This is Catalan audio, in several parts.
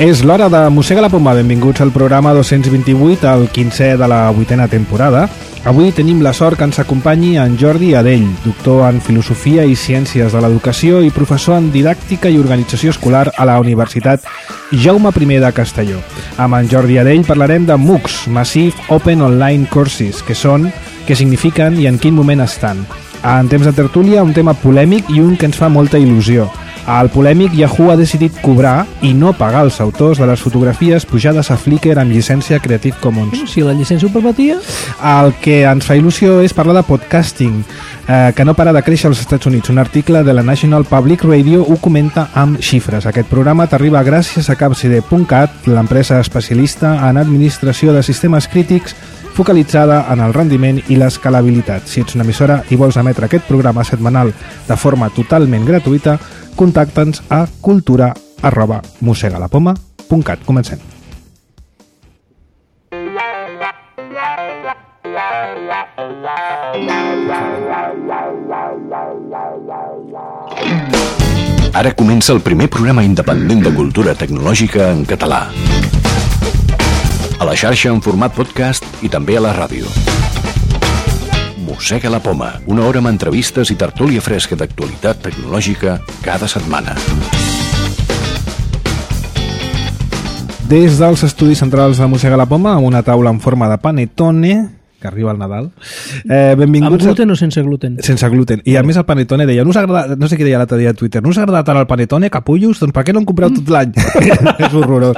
És l'hora de Mossega la Poma. Benvinguts al programa 228, el 15è de la 8a temporada. Avui tenim la sort que ens acompanyi en Jordi Adell, doctor en Filosofia i Ciències de l'Educació i professor en Didàctica i Organització Escolar a la Universitat Jaume I de Castelló. Amb en Jordi Adell parlarem de MOOCs, Massive Open Online Courses, què són, què signifiquen i en quin moment estan. En temps de tertúlia, un tema polèmic i un que ens fa molta il·lusió. Al polèmic, Yahoo ha decidit cobrar i no pagar els autors de les fotografies pujades a Flickr amb llicència Creative Commons. Si la llicència ho permetia... El que ens fa il·lusió és parlar de podcasting, que no para de créixer als Estats Units. Un article de la National Public Radio ho comenta amb xifres. Aquest programa t'arriba gràcies a capcd.cat, l'empresa especialista en administració de sistemes crítics focalitzada en el rendiment i l'escalabilitat. Si ets una emissora i vols emetre aquest programa setmanal de forma totalment gratuïta, contacta'ns a cultura@mossegalapoma.cat. Comencem. Ara comença el primer programa independent de cultura tecnològica en català. A la xarxa en format podcast i també a la ràdio. Mossega la Poma, una hora amb entrevistes i tertúlia fresca d'actualitat tecnològica cada setmana. Des dels estudis centrals de Mossega la Poma, amb una taula en forma de panettone, que arriba el Nadal. Benvinguts. Amb gluten o sense gluten? Sense gluten. I a més el panettone deia, no sé què deia l'altre dia a Twitter, no us ha agradat tant el panettone, capullos? Doncs per què no en compreu tot l'any? És horrorós.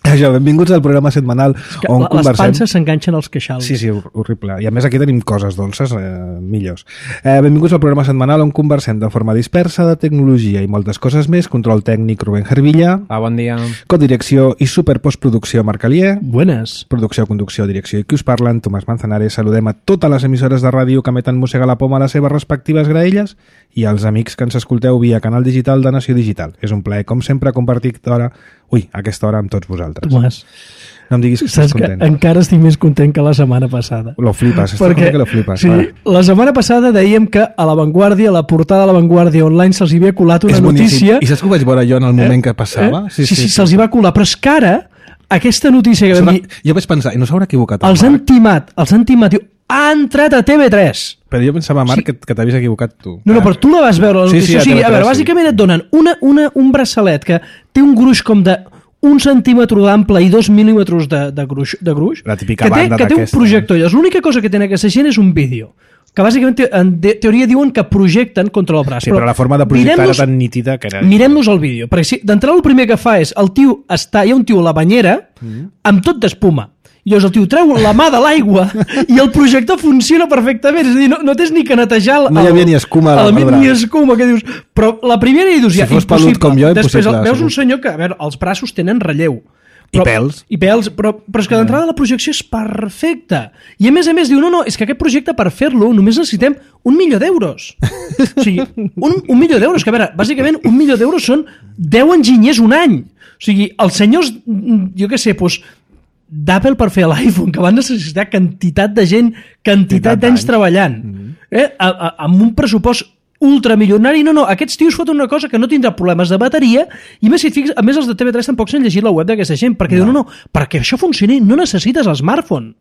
Això, benvinguts al programa setmanal on conversem... Les panses s'enganxen als queixals. Sí, horrible. I a més aquí tenim coses dolces millors. Benvinguts al programa setmanal on conversem de forma dispersa de tecnologia i moltes coses més. Control tècnic, Rubén Hervilla. Bon dia. Codirecció i superpostproducció, Marc Alier. Buenas. Producció, conducció, direcció i qui us parlen, Tomàs Manzanares. Saludem a totes les emissores de ràdio que emeten Mossega la Poma a les seves respectives graelles i als amics que ens escolteu via canal digital de Nació Digital. És un plaer, com sempre, compartir aquesta hora amb tots vosaltres. Tomàs, no em diguis que estàs content. Que encara estic més content que la setmana passada. Lo flipes, perquè, que lo flipes. Sí, la setmana passada dèiem que a La Vanguardia, a la portada de La Vanguardia online, se'ls hi havia colat una notícia... I saps que ho vaig veure jo en el moment que passava? Sí, se'ls hi va colar, però és que ara aquesta notícia que vam dir... Jo vaig pensar, i no s'haurà equivocat els han timat, diu, ha entrat a TV3. Però jo pensava, Marc, que t'havies equivocat tu. No, però tu la vas veure, la notícia. Sí, a veure, bàsicament et donen un braçalet que té un gruix com de 1 centímetre d'ample i 2 mil·límetres de gruix, la típica banda que té un projector. I l'única cosa que té aquesta gent és un vídeo, que bàsicament en teoria diuen que projecten contra el braç. Sí, però la forma de projectar era tan nítida que era... Mirem-nos el vídeo, perquè d'entrada el primer que fa és hi ha un tio a la banyera amb tot d'espuma. I llavors el tio treu la mà de l'aigua i el projector funciona perfectament. És a dir, no tens ni que netejar... No hi havia ni escuma al braç. Ni escuma, que dius... Però la primera hi dius, si fos pelut com jo, després veus un senyor que, a veure, els braços tenen relleu. I pèls, però és que d'entrada la projecció és perfecta. I a més diu, no, és que aquest projecte per fer-lo només necessitem 1.000.000 d'euros. O sigui, 1.000.000 d'euros, que a veure, bàsicament 1.000.000 d'euros són 10 enginyers un any. O sigui, els senyors, jo què sé, doncs, d'Apple per fer l'iPhone, que van necessitar quantitat de gent, quantitat d'anys treballant, amb un pressupost ultramilionari. No, aquests tios foten una cosa que no tindrà problemes de bateria i més, si et fixes, a més els de TV3 tampoc s'han llegit la web d'aquesta gent, perquè diuen, no, perquè això funcioni no necessites l'smartphone.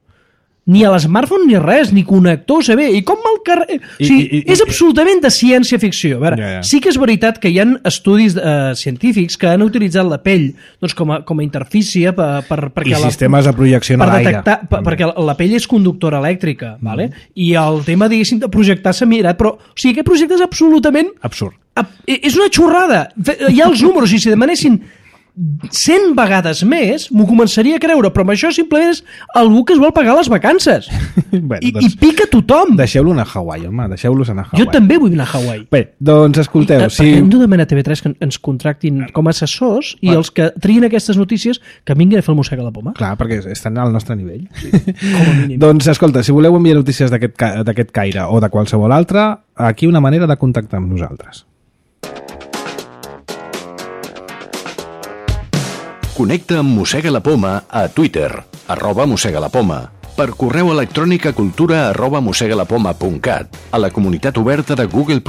Ni a l'smartphone ni res, ni connector USB, i com al carrer... O sigui, és absolutament de ciència-ficció. A veure, sí que és veritat que hi ha estudis científics que han utilitzat la pell doncs, com a interfície perquè sistemes de projecció en l'aire. Perquè la pell és conductora elèctrica, vale? I el tema, diguéssim, de projectar s'ha mirat, però o sigui, aquest projecte és absolutament... absurd. És una xorrada. Hi ha els números, i si demanessin 100 vegades més, m'ho començaria a creure, però amb això simplement és algú que es vol pagar les vacances. Bueno, I pica tothom. Deixeu-lo anar a Hawaii, home, deixeu-los anar a Hawaii. Jo també vull anar a Hawaii. Bé, doncs escolteu... Hem de demanar a TV3 que ens contractin com a assessors i els que trien aquestes notícies que vinguin a fer el Mossega la Poma. Clar, perquè estan al nostre nivell. Com a mínim. Doncs escolta, si voleu enviar notícies d'aquest caire o de qualsevol altre, aquí una manera de contactar amb nosaltres. Connecta amb Mossega la Poma a Twitter, @mossegalapoma, per correu electrònic a cultura@mossegalapoma.cat, a la comunitat oberta de Google+,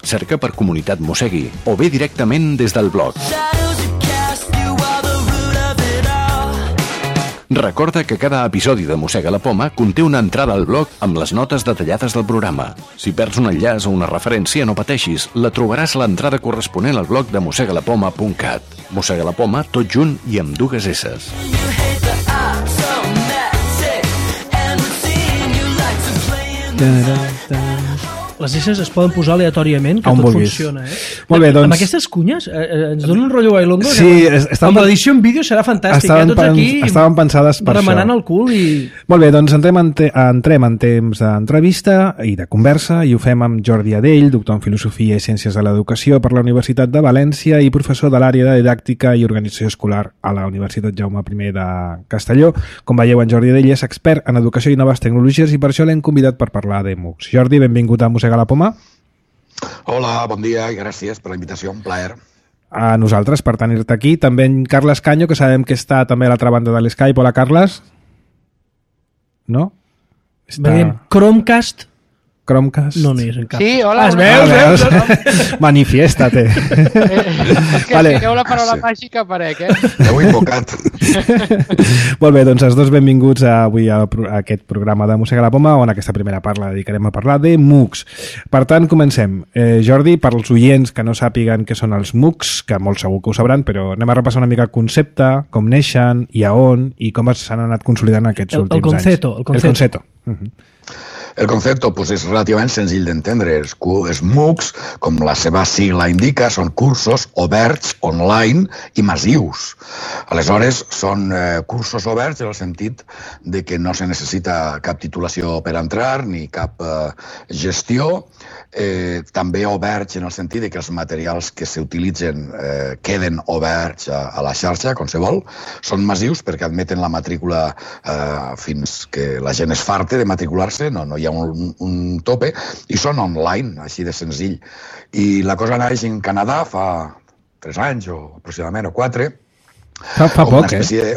cerca per Comunitat Mossegui, o bé directament des del blog. Recorda que cada episodi de Mossega la Poma conté una entrada al blog amb les notes detallades del programa. Si perds un enllaç o una referència, no pateixis, la trobaràs a l'entrada corresponent al blog de mossegalapoma.cat. Mossega la Poma, tot junt i amb dues esses. Les esses es poden posar aleatòriament, que on tot vulguis. funciona, Molt bé, doncs... Amb aquestes cunyes ens donen un rotllo bailongo. Sí, amb l'edició en vídeo serà fantàstic. Tots aquí estaven pensades per remenant això. el cul i... Molt bé, doncs entrem en temps d'entrevista i de conversa, i ho fem amb Jordi Adell, doctor en Filosofia i Ciències de l'Educació per la Universitat de València i professor de l'àrea de Didàctica i Organització Escolar a la Universitat Jaume I de Castelló. Com veieu, en Jordi Adell és expert en educació i noves tecnologies i per això l'hem convidat per parlar de MOOCs. Jordi, benvingut a Mossega la Poma. Hola, bon dia i gràcies per la invitació, un plaer. A nosaltres per tenir-te aquí. També en Carles Canyo, que sabem que està també a l'altra banda de l'Skype. Hola, Carles. No? Veiem Chromecast. No hi és en cap. Sí, hola. Veus? Manifiéstate. És que Vale. si la paraula màgica aparec, Heu invocat. Molt bé, doncs els dos benvinguts avui a aquest programa de Mossega la Poma, on aquesta primera part la dedicarem a parlar de MOOCs. Per tant, comencem. Jordi, per als oients que no sàpiguen què són els MOOCs, que molt segur que ho sabran, però anem a repassar una mica el concepte, com neixen i a on, i com s'han anat consolidant aquests últims anys. El concepto. El concepte pues, és relativament senzill d'entendre. Els MOOCs, com la seva sigla indica, són cursos oberts, online i massius. Aleshores, són cursos oberts en el sentit de que no se necessita cap titulació per entrar ni cap gestió. També oberts en el sentit de que els materials que s'utilitzen queden oberts a la xarxa, com se vol. Són massius perquè admeten la matrícula fins que la gent es farte de matricular-se, no hi ha un tope, i són online, així de senzill. I la cosa naix en Canadà fa 3 anys o aproximadament, o 4, Fa poc,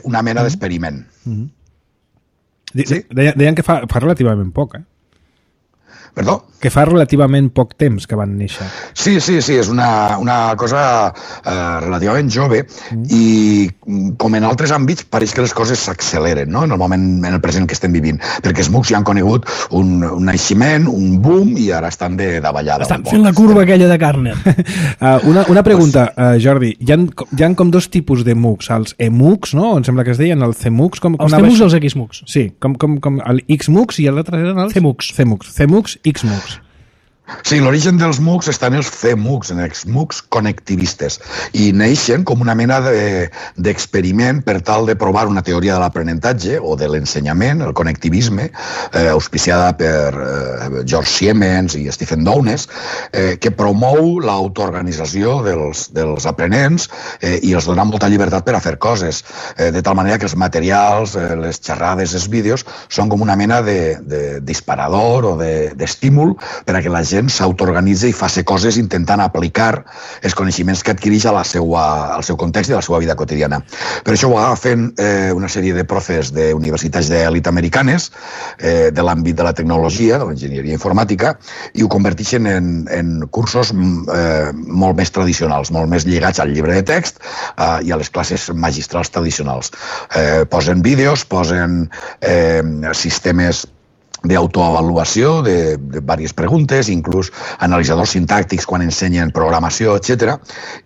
una mena d'experiment. Sí? Deien que fa relativament poc, Perdó? Que fa relativament poc temps que van néixer. Sí, és una cosa relativament jove i com en altres àmbits pareix que les coses s'acceleren, no? En el moment, en el present que estem vivint, perquè els MOOCs ja han conegut un naixement, un boom i ara estan de davallada. Estan fent la curva aquella de Garner. Una pregunta, Jordi, hi ha com dos tipus de MOOCs, els eMOOCs, no? Em sembla que es deien, el CMOOCs. Els CMOOCs i els XMOOCs. Sí, com el XMOOCs i l'altre eren els CMOOCs. CMOOCs, XMOOCs. Sí, l'origen dels MOOCs està en els CMOOCs, en els MOOCs connectivistes, i neixen com una mena d'experiment per tal de provar una teoria de l'aprenentatge o de l'ensenyament, el connectivisme, auspiciada per George Siemens i Stephen Downes, que promou l'autoorganització dels aprenents i els dona molta llibertat per a fer coses, de tal manera que els materials, les xerrades, els vídeos, són com una mena de disparador o d'estímul per a que la gent s'autoorganitza i faci coses intentant aplicar els coneixements que adquireix al seu context i a la seva vida quotidiana. Per això ho agafen una sèrie de profes d'universitats d'elit americanes de l'àmbit de la tecnologia, de l'enginyeria informàtica, i ho converteixen en cursos molt més tradicionals, molt més lligats al llibre de text i a les classes magistrals tradicionals. Posen vídeos, posen sistemes d'autoavaluació de diverses preguntes, inclús analitzadors sintàctics quan ensenyen programació, etc.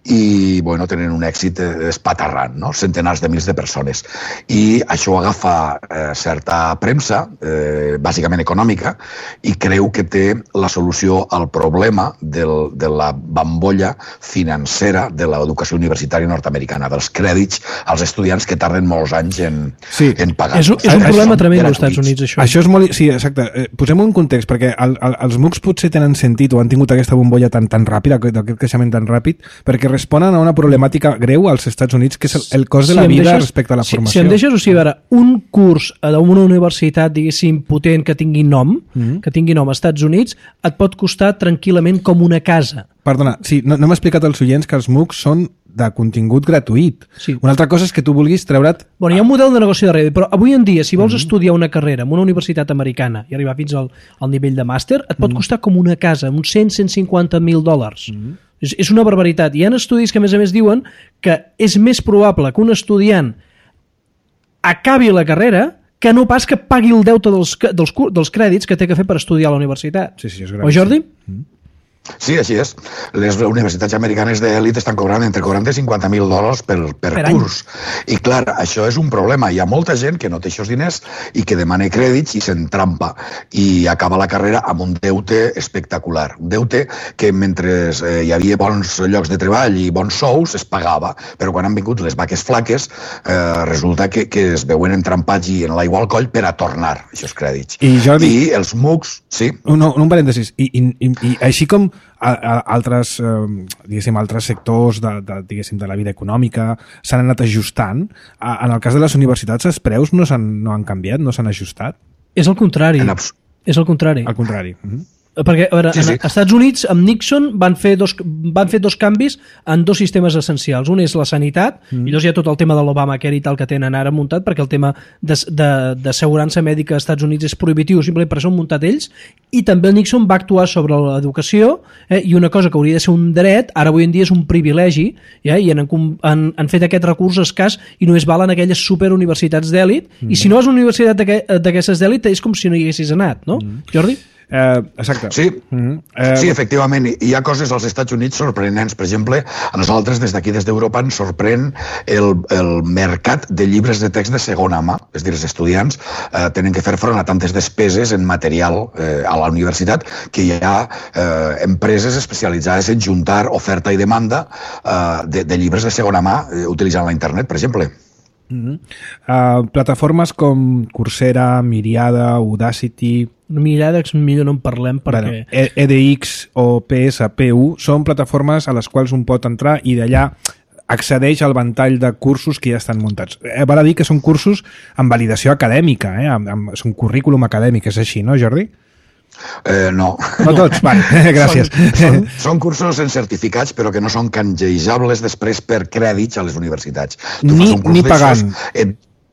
I tenen un èxit espaterrant, no? Centenars de mils de persones. I això agafa certa premsa, bàsicament econòmica, i creu que té la solució al problema de la bambolla financera de l'educació universitària nord-americana, dels crèdits als estudiants que tarden molts anys en pagar. És un problema tremend als Estats Units, això. Això és molt... Sí, exacte. Posem un context, perquè els MOOCs potser tenen sentit o han tingut aquesta bombolla tan ràpida, aquest creixement tan ràpid, perquè responen a una problemàtica greu als Estats Units, que és el cost de la vida respecte a la formació. Si em deixes, o sigui, a veure, un curs d'una universitat, diguéssim, potent, que tingui nom als Estats Units, et pot costar tranquil·lament com una casa. Perdona, sí, no m'ha explicat als oients que els MOOCs són de contingut gratuït. Sí. Una altra cosa és que tu vulguis treure't... Hi ha un model de negoci darrere, però avui en dia, si vols estudiar una carrera en una universitat americana i arribar fins al nivell de màster, et pot costar com una casa, uns $150,000. És una barbaritat. Hi ha estudis que, a més diuen que és més probable que un estudiant acabi la carrera que no pas que pagui el deute dels crèdits que té que fer per estudiar a la universitat. Sí, és o Jordi? Sí, així és. Les universitats americanes d'elit estan cobrant entre 40 i $50,000 per curs. I clar, això és un problema. Hi ha molta gent que no té aquests diners i que demana crèdits i s'entrampa i acaba la carrera amb un deute espectacular. Un deute que mentre hi havia bons llocs de treball i bons sous es pagava, però quan han vingut les vaques flaques resulta que es veuen entrampats i en l'aigua al coll per a tornar aquests crèdits. I Jordi... I els MOOCs... Sí. Un parèntesis. I així com altres sectors de la vida econòmica s'han anat ajustant, en el cas de les universitats els preus no han canviat, no s'han ajustat? És el contrari. És el contrari. Al contrari. Perquè, a veure, sí. Als Estats Units, amb Nixon, van fer dos canvis en dos sistemes essencials. Un és la sanitat, i llavors hi ha tot el tema de l'Obamacare i tal que tenen ara muntat, perquè el tema d'assegurança mèdica als Estats Units és prohibitiu, simplement per això han muntat ells, i també el Nixon va actuar sobre l'educació, i una cosa que hauria de ser un dret, ara avui en dia és un privilegi, i han fet aquest recurs escàs i només valen aquelles superuniversitats d'èlit, i si no és una universitat d'aquestes d'èlit és com si no hi haguessis anat, no? Jordi? Exacte. Sí, sí, efectivament. Hi ha coses als Estats Units sorprenents. Per exemple, a nosaltres des d'aquí, des d'Europa, ens sorprèn el mercat de llibres de text de segona mà. És a dir, els estudiants tenen que fer front a tantes despeses en material a la universitat que hi ha empreses especialitzades en juntar oferta i demanda de llibres de segona mà utilitzant la internet, per exemple. Plataformes com Coursera, Myriada, Udacity... Myriada millor no en parlem perquè... EDX o PSPU són plataformes a les quals un pot entrar i d'allà accedeix al ventall de cursos que ja estan muntats. Val a dir que són cursos amb validació acadèmica, és un currículum acadèmic, és així, no, Jordi? No. No tots? Vale, gràcies. Són cursos en certificats, però que no són canjejables després per crèdits a les universitats. Ni pagant.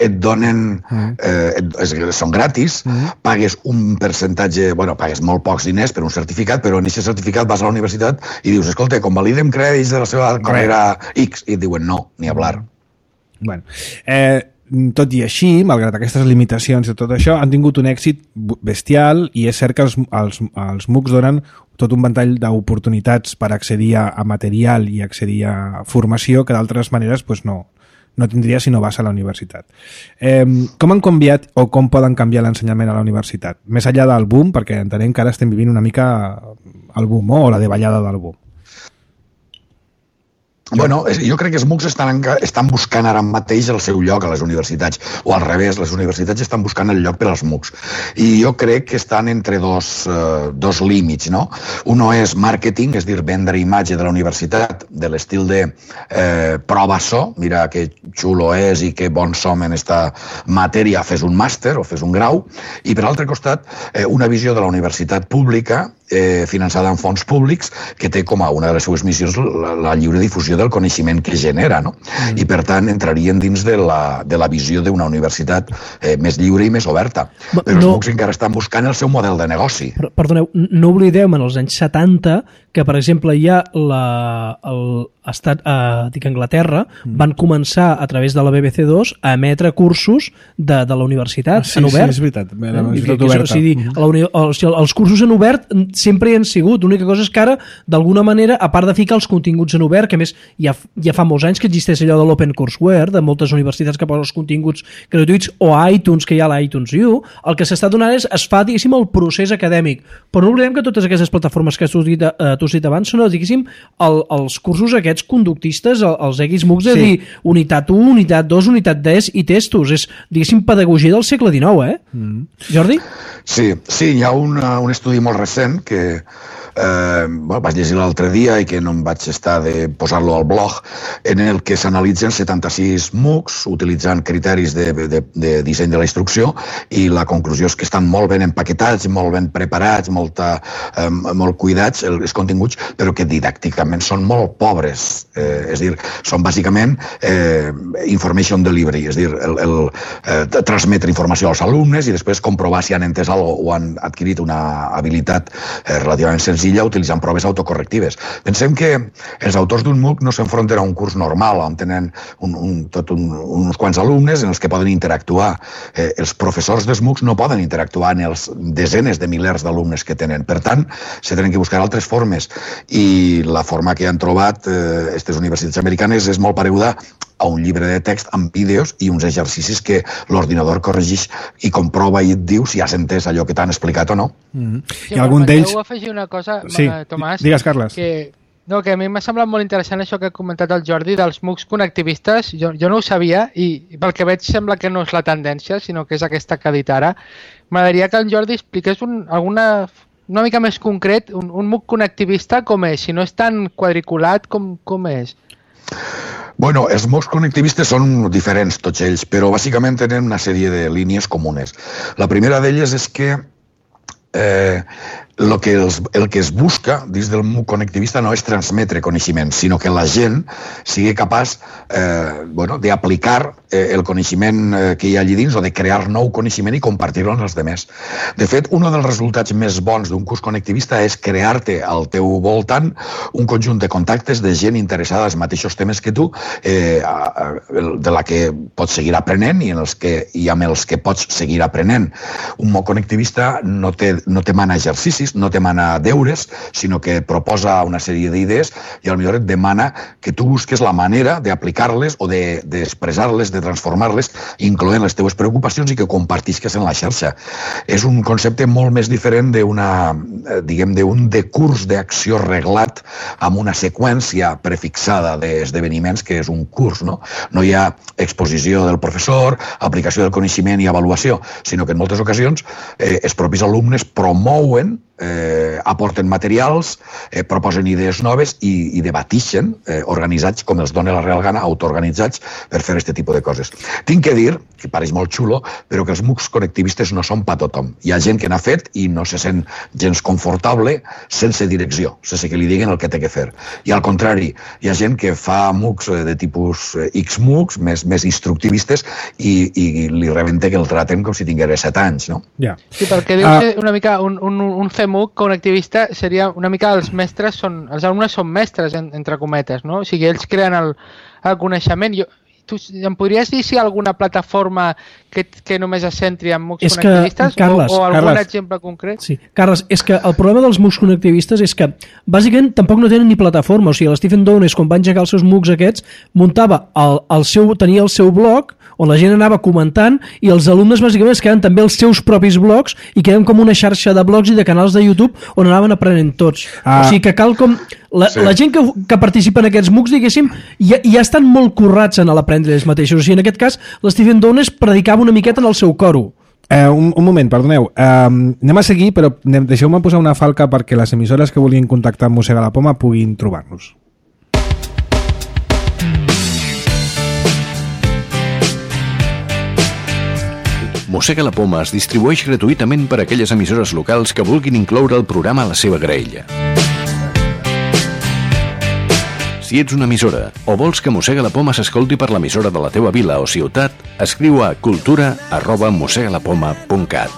Et donen... són gratis, pagues un percentatge... Bueno, pagues molt pocs diners per un certificat, però en aquest certificat vas a la universitat i dius, escolta, convalidem crèdits de la seva carrera X. I et diuen, no, ni hablar. Bueno, tot i així, malgrat aquestes limitacions i tot això, han tingut un èxit bestial i és cert que els MOOCs donen tot un ventall d'oportunitats per accedir a material i accedir a formació que d'altres maneres no tindria si no vas a la universitat. Com han canviat o com poden canviar l'ensenyament a la universitat? Més enllà del boom, perquè entenem que ara estem vivint una mica el boom o la davallada del boom. Bueno, jo crec que els MOOCs estan buscant ara mateix el seu lloc a les universitats, o al revés, les universitats estan buscant el lloc per als MOOCs. I jo crec que estan entre dos límits, no? Uno és màrqueting, és dir, vendre imatge de la universitat, de l'estil de prova so, mira que xulo és i que bons som en esta matèria, fes un màster o fes un grau, i per altre costat, una visió de la universitat pública finançada amb fons públics que té com a una de les seues missions la lliure difusió del coneixement que genera, no? I per tant entrarien dins de la visió d'una universitat més lliure i més oberta. Però els MOOCs encara estan buscant el seu model de negoci. Perdoneu, no oblideu en els anys 70 que, per exemple, ja Anglaterra van començar a través de la BBC2 a emetre cursos de la universitat en obert. Sí, és veritat. La universitat oberta. Els cursos en obert sempre hi han sigut. L'única cosa és que ara, d'alguna manera, a part de ficar els continguts en obert, que a més ja fa molts anys que existeix allò de l'Open Courseware, de moltes universitats que posen els continguts gratuïts, o a iTunes, que hi ha l'iTunes U, el que s'està donant és, es fa, diguéssim, el procés acadèmic. Però no oblidem que totes aquestes plataformes que tu has dit abans són, diguéssim, els cursos aquests conductistes, els EGIs MOOCs, és a dir, unitat 1, unitat 2, unitat 10 i testos. És, diguéssim, pedagogia del segle XIX, Jordi? Sí, hi ha un estudi molt recent que vaig llegir l'altre dia i que no em vaig estar de posar-lo al blog, en el que s'analitzen 76 MOOCs utilitzant criteris de disseny de la instrucció, i la conclusió és que estan molt ben empaquetats, molt ben preparats, molt cuidats els continguts, però que didàcticament són molt pobres. És a dir, són bàsicament information delivery, és a dir, transmetre informació als alumnes i després comprovar si han entès algo o han adquirit una habilitat relativament senzilla utilitzant proves autocorrectives. Pensem que els autors d'un MOOC no s'enfronten a un curs normal on tenen uns quants alumnes en els que poden interactuar. Els professors dels MOOCs no poden interactuar en els desenes de milers d'alumnes que tenen. Per tant, se tenen que buscar altres formes i la forma que han trobat aquestes universitats americanes és molt pareguda a un llibre de text amb vídeos i uns exercicis que l'ordinador corregeix i comprova i et diu si has entès allò que t'han explicat o no. Sí, I algun d'ells... afegir una cosa, sí. Tomàs. Digues, Carles. Que a mi m'ha semblat molt interessant això que ha comentat el Jordi dels MOOCs connectivistes. Jo no ho sabia i pel que veig sembla que no és la tendència, sinó que és aquesta que ha dit ara. M'agradaria que el Jordi expliqués una mica més concret un MOOC connectivista com és, si no és tan quadriculat com és. Bueno, els MOOCs connectivistes són diferents tots ells, però bàsicament tenen una sèrie de línies comunes. La primera d'elles és que el que es busca dins del MOOC connectivista no és transmetre coneixement, sinó que la gent sigui capaç d'aplicar el coneixement que hi ha allí dins o de crear nou coneixement i compartir-lo amb els altres. De fet, un dels resultats més bons d'un curs connectivista és crear-te al teu voltant un conjunt de contactes de gent interessada als mateixos temes que tu, de la que pots seguir aprenent i amb els que pots seguir aprenent. Un MOOC connectivista no te mana exercicis, no te mana deures, sinó que proposa una sèrie d'idees i potser et demana que tu busques la manera d'aplicar-les o d'expressar-les, de transformar-les, incloent les teves preocupacions i que compartisques en la xarxa. És un concepte molt més diferent d'un decurs d'acció reglat amb una seqüència prefixada d'esdeveniments que és un curs. No hi ha exposició del professor, aplicació del coneixement i avaluació, sinó que en moltes ocasions els propis alumnes promouen, aporten materials, proposen idees noves i debatixen, organitzats com els dona la real gana, autoorganitzats per fer aquest tipus de coses. Tinc que dir, que pareix molt xulo, però que els MOOCs connectivistes no són per tothom. Hi ha gent que n'ha fet i no se sent gens confortable sense direcció, sense que li diguin el que té que fer. I al contrari, hi ha gent que fa MOOCs de tipus X-MOOCs, més instructivistes, i li rebenta que el traten com si tingués 7 anys, no? Sí, perquè deu ser una mica un CMOOC connectivista seria una mica els alumnes són mestres, entre cometes, no? O sigui, ells creen el coneixement. Tu em podries dir si hi ha alguna plataforma que només es centri en MOOCs connectivistes o algun exemple concret? Sí, Carles, és que el problema dels MOOCs connectivistes és que bàsicament tampoc no tenen ni plataforma. O sigui, l'Stephen Downes, quan va engegar els seus MOOCs aquests, tenia el seu blog on la gent anava comentant i els alumnes bàsicament es quedaven també els seus propis blogs i quedaven com una xarxa de blogs i de canals de YouTube on anaven aprenent tots. O sigui que cal com... La gent que participa en aquests MOOCs, diguéssim, ja estan molt currats en l'aprendre ells mateixos. O sigui, en aquest cas, l'Stephen Downes predicava una miqueta en el seu coro. Un moment, perdoneu. Anem a seguir, però deixeu-me posar una falca perquè les emissores que vulguin contactar amb Mossega la Poma puguin trobar-nos. Mossega la Poma es distribueix gratuïtament per a aquelles emissores locals que vulguin incloure el programa a la seva graella. Si ets una emissora o vols que Mossega la Poma s'escolti per l'emissora de la teva vila o ciutat, escriu a cultura@mossegalapoma.cat.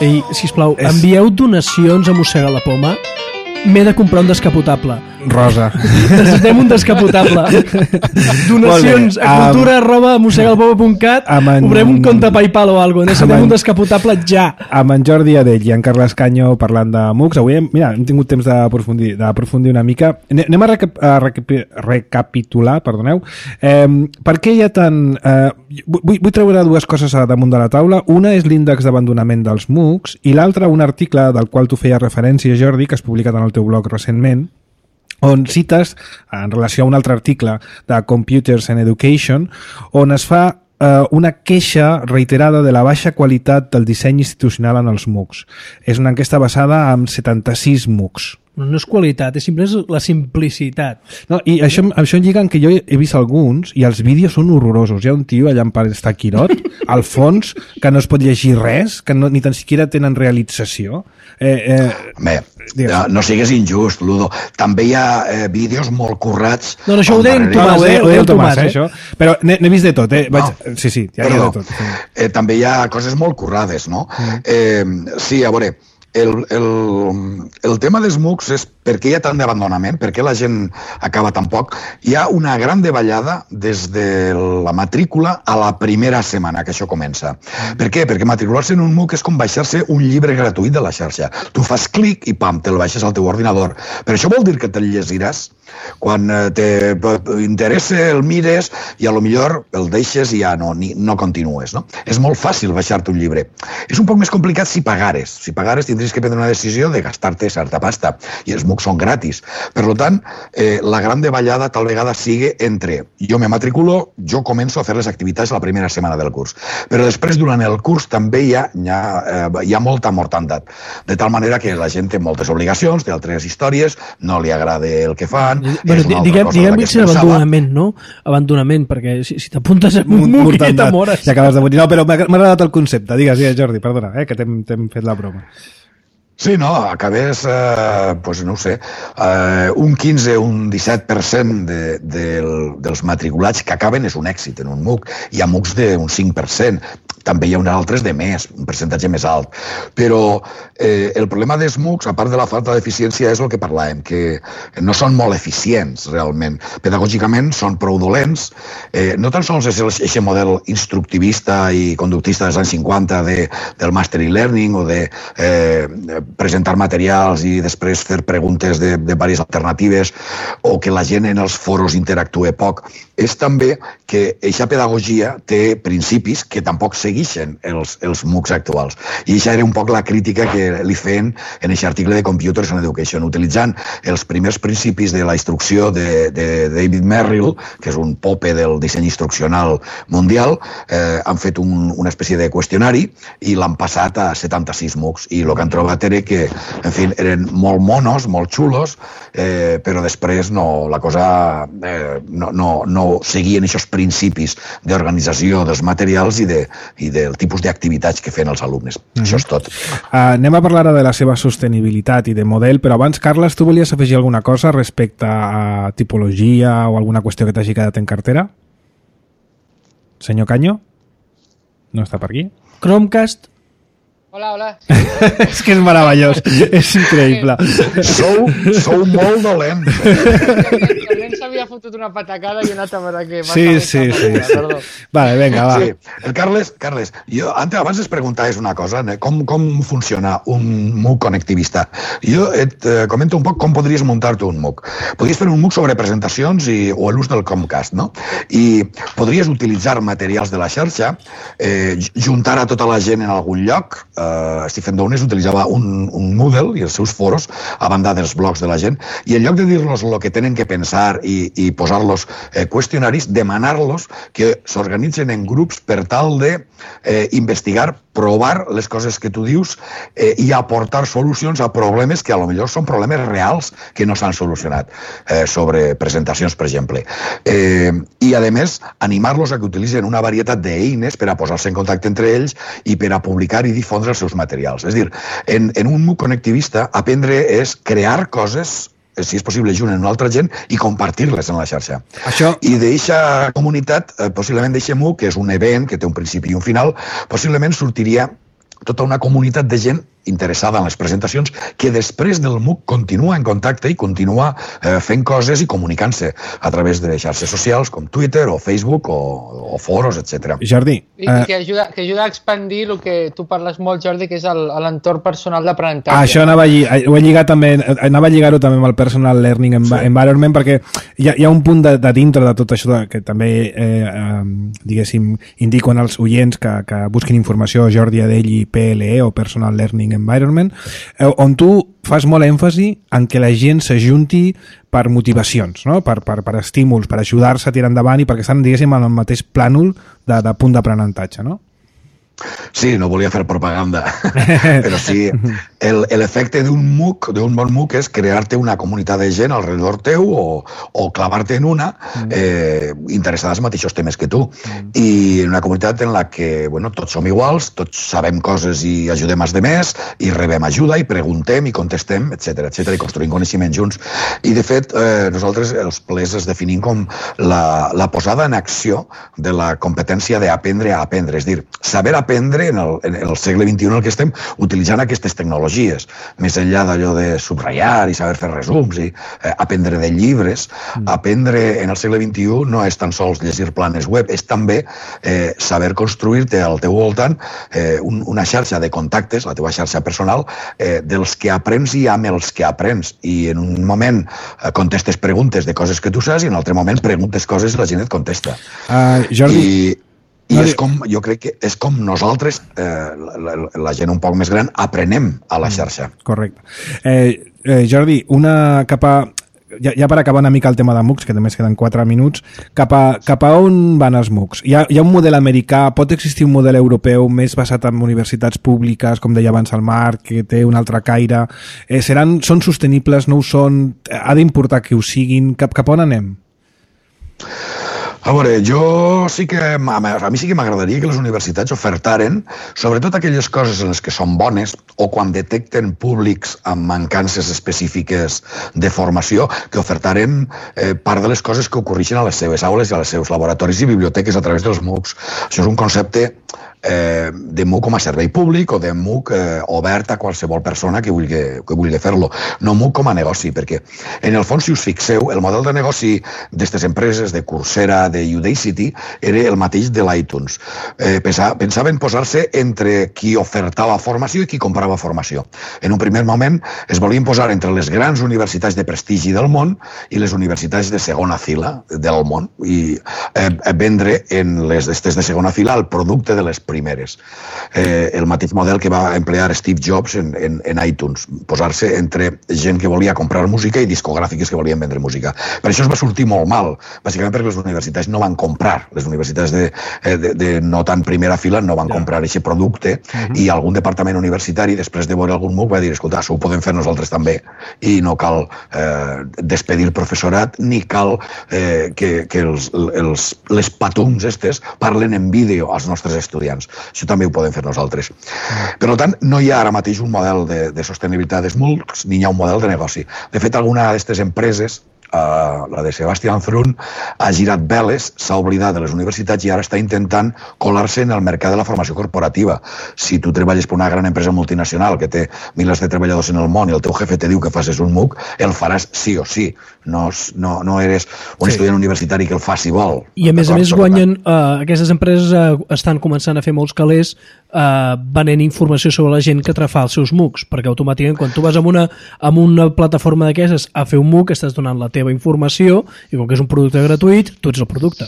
Ei, sisplau, envieu donacions a Mossega la Poma. M'he de comprar un descapotable. Rosa. Necessitem un descapotable. Donacions a cultura@mossegalapoma.cat. Obrem un compte PayPal o alguna cosa. Necessitem un descapotable ja. Amb en Jordi Adell i en Carles Canyo parlant de MOOCs. Avui hem tingut temps d'aprofundir una mica. Anem a recapitular, perdoneu. Per què hi ha tant... Vull treure dues coses damunt de la taula. Una és l'índex d'abandonament dels MOOCs i l'altra un article del qual tu feies referència, Jordi, que has publicat en el teu blog recentment, on cites, en relació a un altre article de Computers and Education, on es fa una queixa reiterada de la baixa qualitat del disseny institucional en els MOOCs. És una enquesta basada en 76 MOOCs. No és qualitat, és simplement la simplicitat. No, i això em lliga que jo he vist alguns i els vídeos són horrorosos. Hi ha un tio allà en part està Quirot, al fons, que no es pot llegir res, que ni tan siquiera tenen realització. Bé, no sigues injust, Ludo. També hi ha vídeos molt currats... No, això ho deia en Tomàs, ho deia el Tomàs, això. Però n'he vist de tot, Sí, ja hi ha de tot. També hi ha coses molt currades, no? Sí, a veure... El tema dels MOOCs és per què hi ha tant d'abandonament, per què la gent acaba tan poc. Hi ha una gran davallada des de la matrícula a la primera setmana que això comença. Per què? Perquè matricular-se en un MOOC és com baixar-se un llibre gratuït de la xarxa. Tu fas clic i pam, te'l baixes al teu ordinador. Però això vol dir que te'l llegiràs? Quan t'interessa el mires i a lo millor el deixes i ja no continues, no? És molt fàcil baixar-te un llibre. És un poc més complicat si pagares. Si pagares tindries que prendre una decisió de gastar-te certa pasta i els MOOCs són gratis. Per tant, la gran davallada tal vegada sigui entre jo me matriculo, jo començo a fer les activitats la primera setmana del curs. Però després, durant el curs, també hi ha molta mortandat. De tal manera que la gent té moltes obligacions, té altres històries, no li agrada el que fan. Bueno, diguem que és abandonament, no? Abandonament, perquè si t'apuntes en un MOOC i t'amores. I acabes de morir. No, però m'ha agradat el concepte. Digues, Jordi, perdona, que t'hem fet la broma. Sí, no, acabés, no ho sé, un 15 o un 17% dels matriculats que acaben és un èxit en un MOOC. Hi ha MOOCs d'un 5%. També hi ha uns altres de més, un percentatge més alt. Però el problema dels MOOCs, a part de la falta d'eficiència, és el que parlàvem, que no són molt eficients, realment. Pedagògicament són prou dolents. No tan sols és aquest model instructivista i conductista dels anys 50 del Master e-Learning o de presentar materials i després fer preguntes de diverses alternatives o que la gent en els foros interactue poc. És també que aquesta pedagogia té principis que tampoc segueixen els MOOCs actuals. I això era un poc la crítica que li feien en aquest article de Computers and Education, utilitzant els primers principis de la instrucció de David Merrill, que és un pope del disseny instruccional mundial, han fet una espècie de qüestionari i l'han passat a 76 MOOCs. I el que han trobat era que, en fi, eren molt monos, molt xulos, però després la cosa no seguien aquests principis d'organització dels materials i del tipus d'activitats que feien els alumnes. Això és tot. Anem a parlar de la seva sostenibilitat i de model, però abans, Carles, tu volies afegir alguna cosa respecte a tipologia o alguna qüestió que t'hagi quedat en cartera? Senyor Canyo? No està per aquí? Chromecast. Hola. És que és meravellós, és increïble. Sou molt dolents. El nen s'havia fotut una patacada i he anat a veure què... Sí. Perdó. Vale, vinga, va. Sí. El Carles, jo abans es preguntaves una cosa, com funciona un MOOC connectivista. Jo et comento un poc com podries muntar-te un MOOC. Podries fer un MOOC sobre presentacions o l'ús del Chromecast, no? I podries utilitzar materials de la xarxa, juntar a tota la gent en algun lloc. Stephen Downes utilitzava un Moodle i els seus foros a banda dels blogs de la gent, i en lloc de dir-los el que tenen que pensar i posar-los qüestionaris, demanar-los que s'organitzen en grups per tal de investigar, provar les coses que tu dius i aportar solucions a problemes que a lo millor són problemes reals que no s'han solucionat, sobre presentacions, per exemple. I, a més, animar-los a que utilitzen una varietat d'eines per a posar-se en contacte entre ells i per a publicar i difondre els seus materials. És a dir, en un MOOC connectivista, aprendre és crear coses, si és possible, junt amb una altra gent i compartir-les en la xarxa. I d'eixa comunitat, possiblement d'eixe MOOC, que és un event que té un principi i un final, possiblement sortiria tota una comunitat de gent interessada en les presentacions que després del MOOC continua en contacte i continua fent coses i comunicant-se a través de xarxes socials com Twitter o Facebook o foros, etc. Jordi. I que ajuda a expandir el que tu parles molt, Jordi, que és l'entorn personal d'aprenentatge. Això anava a lligar-ho també amb el Personal Learning Environment, perquè hi ha un punt de dintre de tot això que també, diguéssim, indico als oients que busquin informació Jordi Adell i PLE o Personal Learning Environment, on tu fas molt èmfasi en que la gent s'ajunti per motivacions, no? per estímuls, per ajudar-se a tirar endavant i perquè estan, diguéssim, en el mateix plànol de punt d'aprenentatge, no? Sí, no volia fer propaganda, però sí, l'efecte d'un MOOC, d'un bon MOOC, és crear-te una comunitat de gent alrededor teu o clavar-te en una interessada als mateixos temes que tu. I una comunitat en la que tots som iguals, tots sabem coses i ajudem als demés, i rebem ajuda, i preguntem, i contestem, etc i construïm coneixement junts. I, de fet, nosaltres els plers es definim com la posada en acció de la competència d'aprendre a aprendre. És a dir, saber aprendre en el segle XXI en el que estem utilitzant aquestes tecnologies, més enllà d'allò de subratllar i saber fer resums i aprendre de llibres. Aprendre en el segle XXI no és tan sols llegir planes web, és també saber construir-te al teu voltant una xarxa de contactes, la teva xarxa personal, dels que aprens i amb els que aprens. I en un moment contestes preguntes de coses que tu saps i en un altre moment preguntes coses i la gent et contesta. Jordi... I és com, jo crec que és com nosaltres, la gent un poc més gran, aprenem a la xarxa. Correcte. Jordi, ja per acabar una mica el tema de MOOCs, que només queden 4 minuts, cap a on van els MOOCs? Hi ha un model americà, pot existir un model europeu més basat en universitats públiques, com deia abans el Marc, que té un altre caire? Són sostenibles, no ho són? Ha d'importar que ho siguin? Cap a on anem? A veure, a mi sí que m'agradaria que les universitats ofertaren, sobretot aquelles coses en les que són bones o quan detecten públics amb mancances específiques de formació, que ofertaren part de les coses que ocorreixen a les seves aules i als seus laboratoris i biblioteques a través dels MOOCs. Això és un concepte de MOOC com a servei públic o de MOOC obert a qualsevol persona que vulgui fer-lo. No MOOC com a negoci, perquè en el fons, si us fixeu, el model de negoci d'aquestes empreses, de Coursera, de Udacity, era el mateix de l'iTunes. Pensaven posar-se entre qui ofertava formació i qui comprava formació. En un primer moment es volien posar entre les grans universitats de prestigi del món i les universitats de segona fila del món i vendre en les d'estes de segona fila el producte de les primeres. El mateix model que va emplear Steve Jobs en iTunes, posar-se entre gent que volia comprar música i discogràfiques que volien vendre música. Per això es va sortir molt mal, bàsicament perquè les universitats no van comprar, les universitats de no tan primera fila no van comprar aquest producte i algun departament universitari, després de veure algun MOOC, va dir, escolta, això ho podem fer nosaltres també i no cal despedir professorat ni cal que les patums estes parlen en vídeo als nostres estudiants. Això també ho podem fer nosaltres. Per tant, no hi ha ara mateix un model de sostenibilitat dels MOOCs ni hi ha un model de negoci. De fet, alguna d'aquestes empreses, la de Sebastian Thrun, ha girat veles, s'ha oblidat de les universitats i ara està intentant colar-se en el mercat de la formació corporativa. Si tu treballes per una gran empresa multinacional que té milers de treballadors en el món i el teu jefe te diu que facis un MOOC, el faràs sí o sí. No eres un estudiant universitari que el fa si vol. I a més guanyen, aquestes empreses estan començant a fer molts calés venent informació sobre la gent que fa els seus MOOCs, perquè automàticament quan tu vas amb una plataforma d'aquestes a fer un MOOC estàs donant la teva informació i com que és un producte gratuït, tu ets el producte.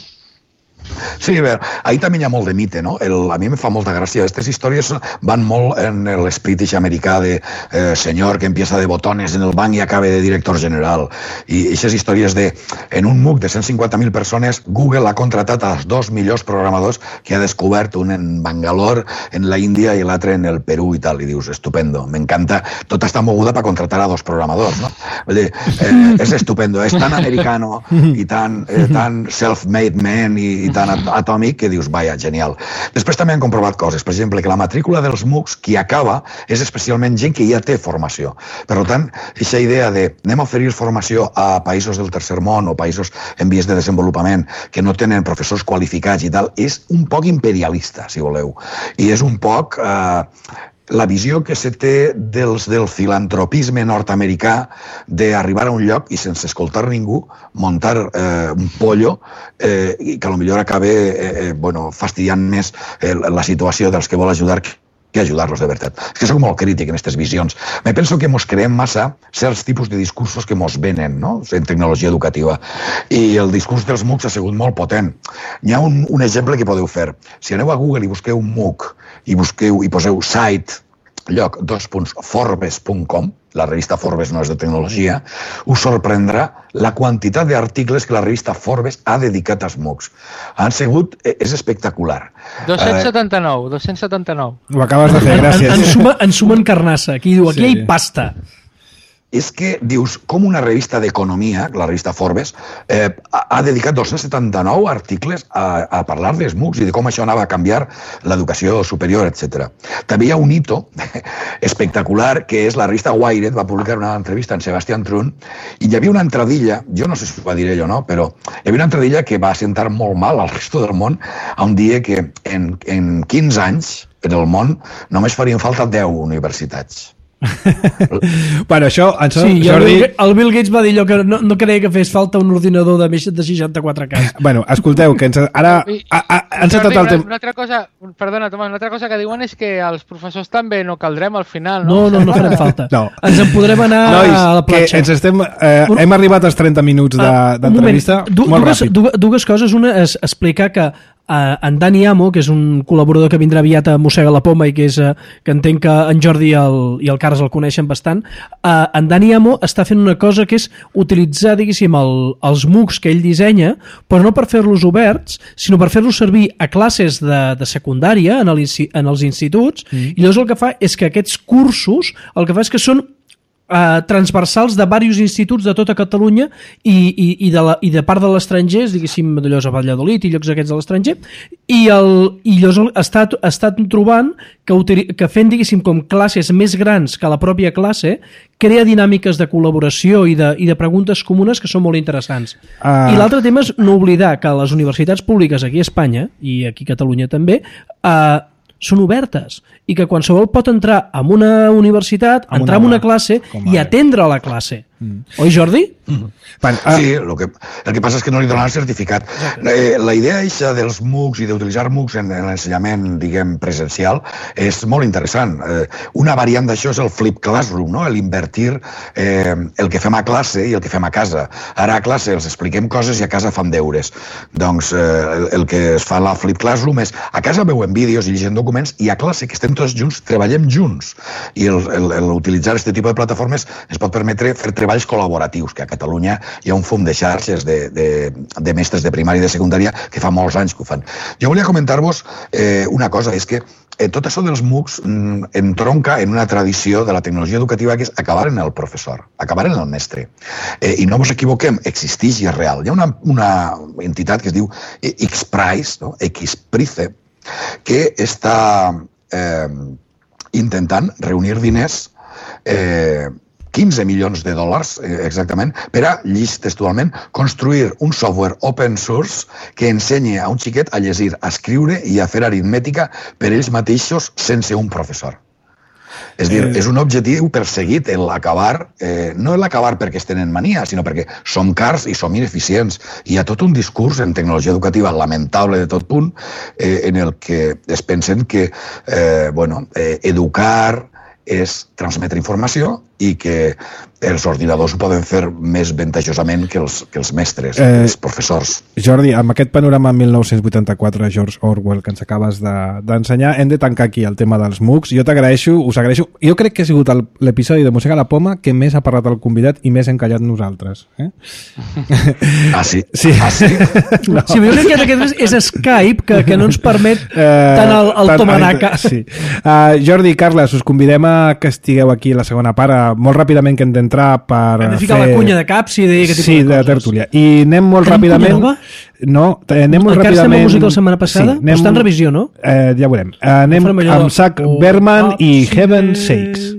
Sí, a veure, ahir també hi ha molt de mite, no? A mi em fa molta gràcia. Aquestes històries van molt en l'esprit americà de senyor que empieza de botones en el banc i acaba de director general. I aquestes històries de, en un MOOC de 150.000 persones, Google ha contratat als 2 millors programadors que ha descobert, un en Bangalore, en la Índia i l'altre en el Perú i tal. I dius, estupendo, m'encanta. Tot està moguda per contratar a 2 programadors, no? Vull dir, és estupendo, és tan americano i tan self-made man i tan atòmic que dius, vaja, genial. Després també han comprovat coses, per exemple, que la matrícula dels MOOCs, qui acaba, és especialment gent que ja té formació. Per tant, aquesta idea de anem a oferir formació a països del tercer món o països en vies de desenvolupament que no tenen professors qualificats i tal, és un poc imperialista, si voleu. I és un poc la visió que se té del filantropisme nord-americà d'arribar a un lloc i sense escoltar ningú muntar un pollo i que potser acaba fastidiant més la situació dels que vol ajudar que ajudar-los de veritat. És que soc molt crític en aquestes visions. Me penso que mos creem massa certs tipus de discursos que mos venen, no?, en tecnologia educativa. I el discurs dels MOOCs ha sigut molt potent. Hi ha un exemple que podeu fer. Si aneu a Google i busqueu un MOOC i poseu site, Forbes.com, la revista Forbes no és de tecnologia, us sorprendrà la quantitat d'articles que la revista Forbes ha dedicat als MOOCs. És espectacular. 279. Ho acabes de fer, gràcies. En sumen carnassa. Aquí diu, aquí hi ha pasta. És que, dius, com una revista d'economia, la revista Forbes, ha dedicat 279 articles a parlar dels MOOCs i de com això anava a canviar l'educació superior, etc. També hi ha un hito espectacular, que és la revista Wired, va publicar una entrevista amb Sebastian Thrun, i hi havia una entradilla, jo no sé si ho va dir ell o no, però hi havia una entradilla que va sentar molt mal al resto del món, on dia que en 15 anys en el món només farien falta 10 universitats. Bueno, això, sí, Jordi... El Bill Gates va dir allò que no creia que fes falta un ordinador de més de 64K. Bueno, escolteu, que ara han setat el temps. Una altra cosa, perdona, Tomàs, una altra cosa que diuen és que els professors també no caldrem al final, no? No farem falta. No. Ens en podrem anar a la platja. Hem arribat als 30 minuts d'entrevista. Molt ràpid. Dues coses. Una és explicar que en Dani Amo, que és un col·laborador que vindrà aviat a Mossega la Poma i que entenc que en Jordi i el Carles el coneixen bastant, en Dani Amo està fent una cosa que és utilitzar, diguéssim, els MOOCs que ell dissenya, però no per fer-los oberts, sinó per fer-los servir a classes de secundària en els instituts, i llavors el que fa és que aquests cursos el que fa és que són transversals de diversos instituts de tota Catalunya i de part de l'estranger, diguéssim, d'allò a Valladolid i llocs aquests de l'estranger, i llavors ha estat trobant que fent, diguéssim, com classes més grans que la pròpia classe, crea dinàmiques de col·laboració i de preguntes comunes que són molt interessants. I l'altre tema és no oblidar que les universitats públiques aquí a Espanya, i aquí a Catalunya també, són obertes i que qualsevol pot entrar en una universitat, entrar en una classe i atendre la classe. Oi, Jordi? Sí, el que passa és que no li donen el certificat. La idea eixa dels MOOCs i d'utilitzar MOOCs en l'ensenyament, diguem, presencial és molt interessant. Una variant d'això és el flip classroom, no? L'invertir el que fem a classe i el que fem a casa. Ara a classe els expliquem coses i a casa fan deures. Doncs el que es fa a la flip classroom és a casa veuen vídeos i llegim documents i a classe, que estem tots junts, treballem junts. I utilitzar aquest tipus de plataformes ens pot permetre fer treballs col·laboratius, que a Catalunya hi ha un fum de xarxes de mestres de primària i de secundària que fa molts anys que ho fan. Jo volia comentar-vos una cosa, és que tot això dels MOOCs entronca en una tradició de la tecnologia educativa que és acabar en el professor, acabar en el mestre. I no us equivoquem, existeix i és real. Hi ha una entitat que es diu X-Prize, no? X-Prize, que està intentant reunir diners 15 milions de dòlars, exactament, per a, llis textualment, construir un software open source que ensenyi a un xiquet a llegir, a escriure i a fer aritmètica per ells mateixos sense un professor. És dir, és un objectiu perseguit, l'acabar, no l'acabar perquè es tenen mania, sinó perquè som cars i som ineficients. Hi ha tot un discurs en tecnologia educativa lamentable de tot punt, en el que es pensen que educar és transmetre informació i que els ordinadors ho poden fer més ventajosament que els mestres, els professors. Jordi, amb aquest panorama 1984 George Orwell que ens acabes d'ensenyar, hem de tancar aquí el tema dels MOOCs. Jo t'agraeixo, us agraeixo. Jo crec que ha sigut l'episodi de Mossega la Poma que més ha parlat el convidat i més hem callat nosaltres. Ah, sí? Sí. Ah, sí? No. Sí, jo crec que aquest és Skype que no ens permet tant el tomanaca. Sí. Jordi i Carles, us convidem a que estigueu aquí a la segona part, molt ràpidament que hem d'entrar per hem de ficar la cunya de caps i de aquest tipus de tertúlia. I anem molt ràpidament... No, anem molt ràpidament... Encara estem amb música la setmana passada? Sí, està en revisió, no? Ja veurem. Anem amb Zach Berman i Heaven Sakes.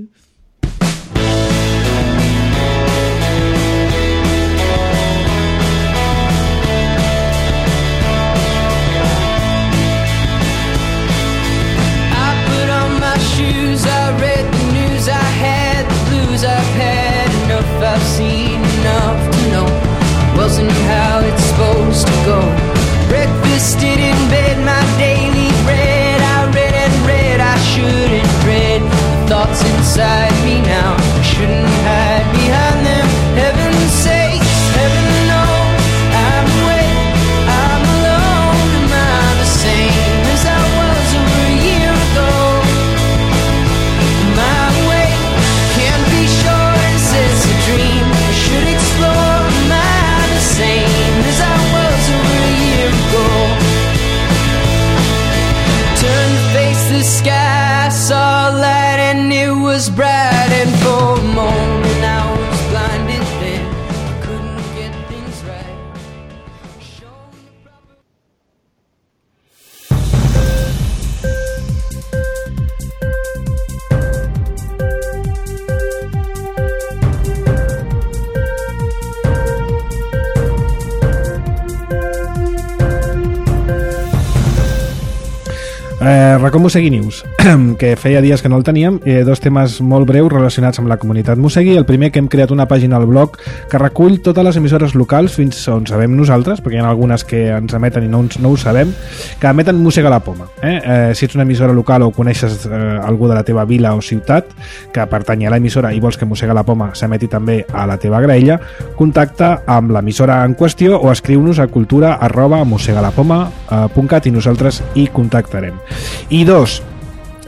Inside the sky, saw light and it was bright, and for a moment I was blinded then, couldn't get things right. Racó Mosegui News, que feia dies que no el teníem, dos temes molt breus relacionats amb la comunitat Mosegui. El primer, que hem creat una pàgina al blog que recull totes les emissores locals fins on sabem nosaltres, perquè hi ha algunes que ens emeten i no ho sabem, que emeten Mossega la Poma. Si ets una emissora local o coneixes algú de la teva vila o ciutat que pertany a l'emissora i vols que Mossega la Poma s'emeti també a la teva graella, contacta amb l'emissora en qüestió o escriu-nos a cultura@mosegalapoma.cat i nosaltres hi contactarem. I dos,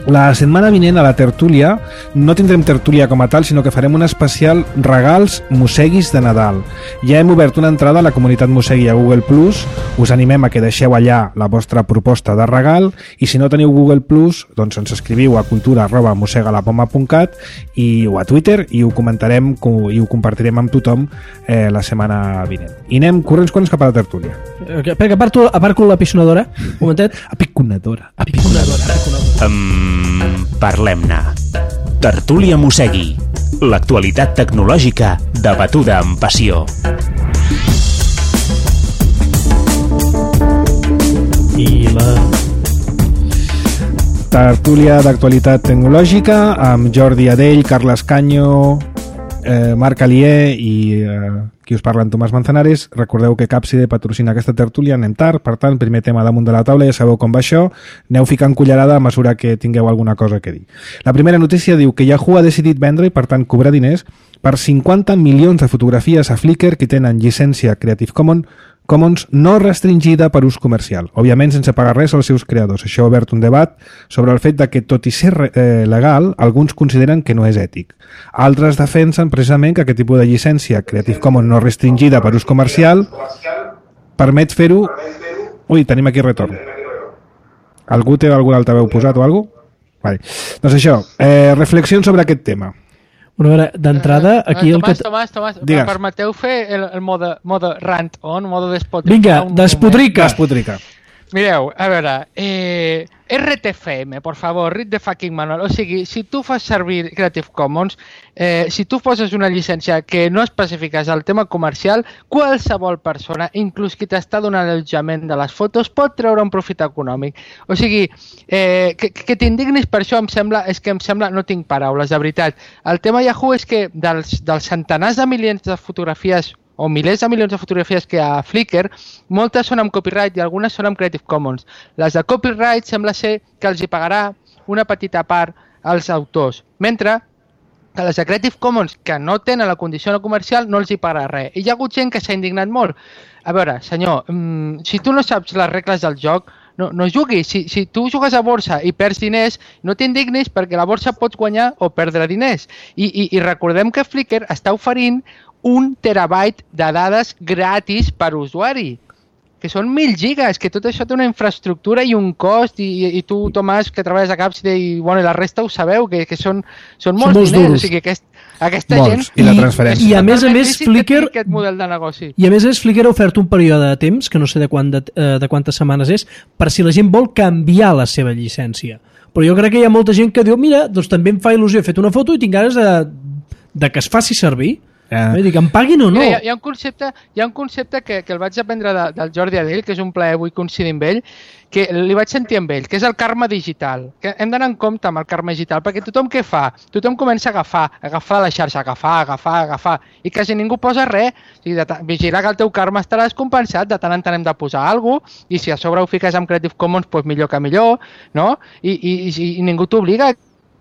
la setmana vinent a la tertúlia no tindrem tertúlia com a tal, sinó que farem un especial regals Mosseguis de Nadal. Ja hem obert una entrada a la comunitat Mosegui a Google+, us animem a que deixeu allà la vostra proposta de regal, i si no teniu Google+, doncs ens escriviu a cultura@mosegalapoma.cat o a Twitter i ho comentarem i ho compartirem amb tothom la setmana vinent. I anem corrents cap a la tertúlia. Perquè aparco la pisonadora, un momentet. Apiconadora. Parlem-ne. Tertúlia Mosegui. L'actualitat tecnològica debatuda amb passió. I la tertúlia d'actualitat tecnològica amb Jordi Adell, Carles Canyo, Marc Alier i qui us parla en Tomàs Manzanares. Recordeu que Capside patrocina aquesta tertúlia, anem tard, per tant, primer tema damunt de la taula, ja sabeu com va això, aneu ficant cullerada a mesura que tingueu alguna cosa que dir. La primera notícia diu que Yahoo ha decidit vendre i per tant cobrar diners per 50 milions de fotografies a Flickr que tenen llicència Creative Commons no restringida per ús comercial, òbviament sense pagar res als seus creadors. Això ha obert un debat sobre el fet de que, tot i ser legal, alguns consideren que no és ètic. Altres defensen precisament que aquest tipus de llicència Creative Commons no restringida per ús comercial permet fer-ho... Ui, tenim aquí retorn. Algú té algun altaveu posat o alguna cosa? Vale. Doncs això, reflexions sobre aquest tema. Bueno, a veure, d'entrada, aquí el que... Tomàs, Digues. permeteu fer el mode rant on, mode despotrica? Vinga, despotrica. Despotrica. Mireu, a veure, RTFM, por favor, read the fucking manual. O sigui, si tu fas servir Creative Commons, si tu poses una llicència que no especifiques el tema comercial, qualsevol persona, inclús qui t'està donant l'allotjament de les fotos, pot treure un profit econòmic. O sigui, que t'indignis per això em sembla, no tinc paraules, de veritat. El tema Yahoo és que dels centenars de milions de fotografies o milers de milions de fotografies que hi ha a Flickr, moltes són amb copyright i algunes són amb Creative Commons. Les de copyright sembla ser que els hi pagarà una petita part als autors, mentre que les de Creative Commons, que no tenen la condició no comercial, no els hi pagarà res. I hi ha hagut gent que s'ha indignat molt. A veure, senyor, si tu no saps les regles del joc, no juguis. Si tu jugues a borsa i perds diners, no t'indignis perquè a la borsa pots guanyar o perdre diners. I recordem que Flickr està oferint 1 terabyte de dades gratis per usuari, que són 1.000 gigas, que tot això té una infraestructura i un cost, i tu, Tomàs, que treballes a Capside, i la resta ho sabeu, que són molts diners. O sigui, aquesta gent... I la transferència. I a més, Flickr... Aquest model de negoci. I a més, Flickr ha ofert un període de temps, que no sé de quantes setmanes és, per si la gent vol canviar la seva llicència. Però jo crec que hi ha molta gent que diu, mira, doncs també em fa il·lusió, he fet una foto i tinc ganes de que es faci servir. Dic, em paguin o no? Mira, hi ha un concepte que el vaig aprendre del Jordi Adell, que és un plaer avui coincidir amb ell, que li vaig sentir amb ell, que és el karma digital. Que hem d'anar en compte amb el karma digital, perquè tothom què fa? Tothom comença a agafar la xarxa, agafar, i quasi ningú posa res. O sigui, vigila que el teu karma estarà descompensat, de tant en tant hem de posar alguna cosa, i si a sobre ho fiques amb Creative Commons, doncs millor que millor, no? I ningú t'obliga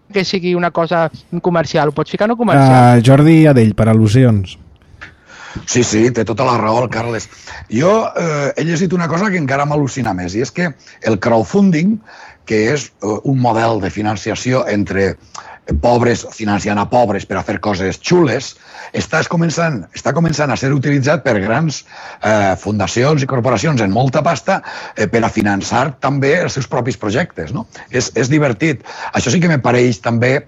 que sigui una cosa comercial, ho pots ficar no comercial. Jordi Adell, per al·lusions. Sí, té tota la raó el Carles. Jo he llegit una cosa que encara m'al·lucina més, i és que el crowdfunding, que és un model de financiació entre pobres, financiant a pobres per a fer coses xules, està començant a ser utilitzat per grans fundacions i corporacions en molta pasta per a finançar també els seus propis projectes. No? És divertit. Això sí que me pareix també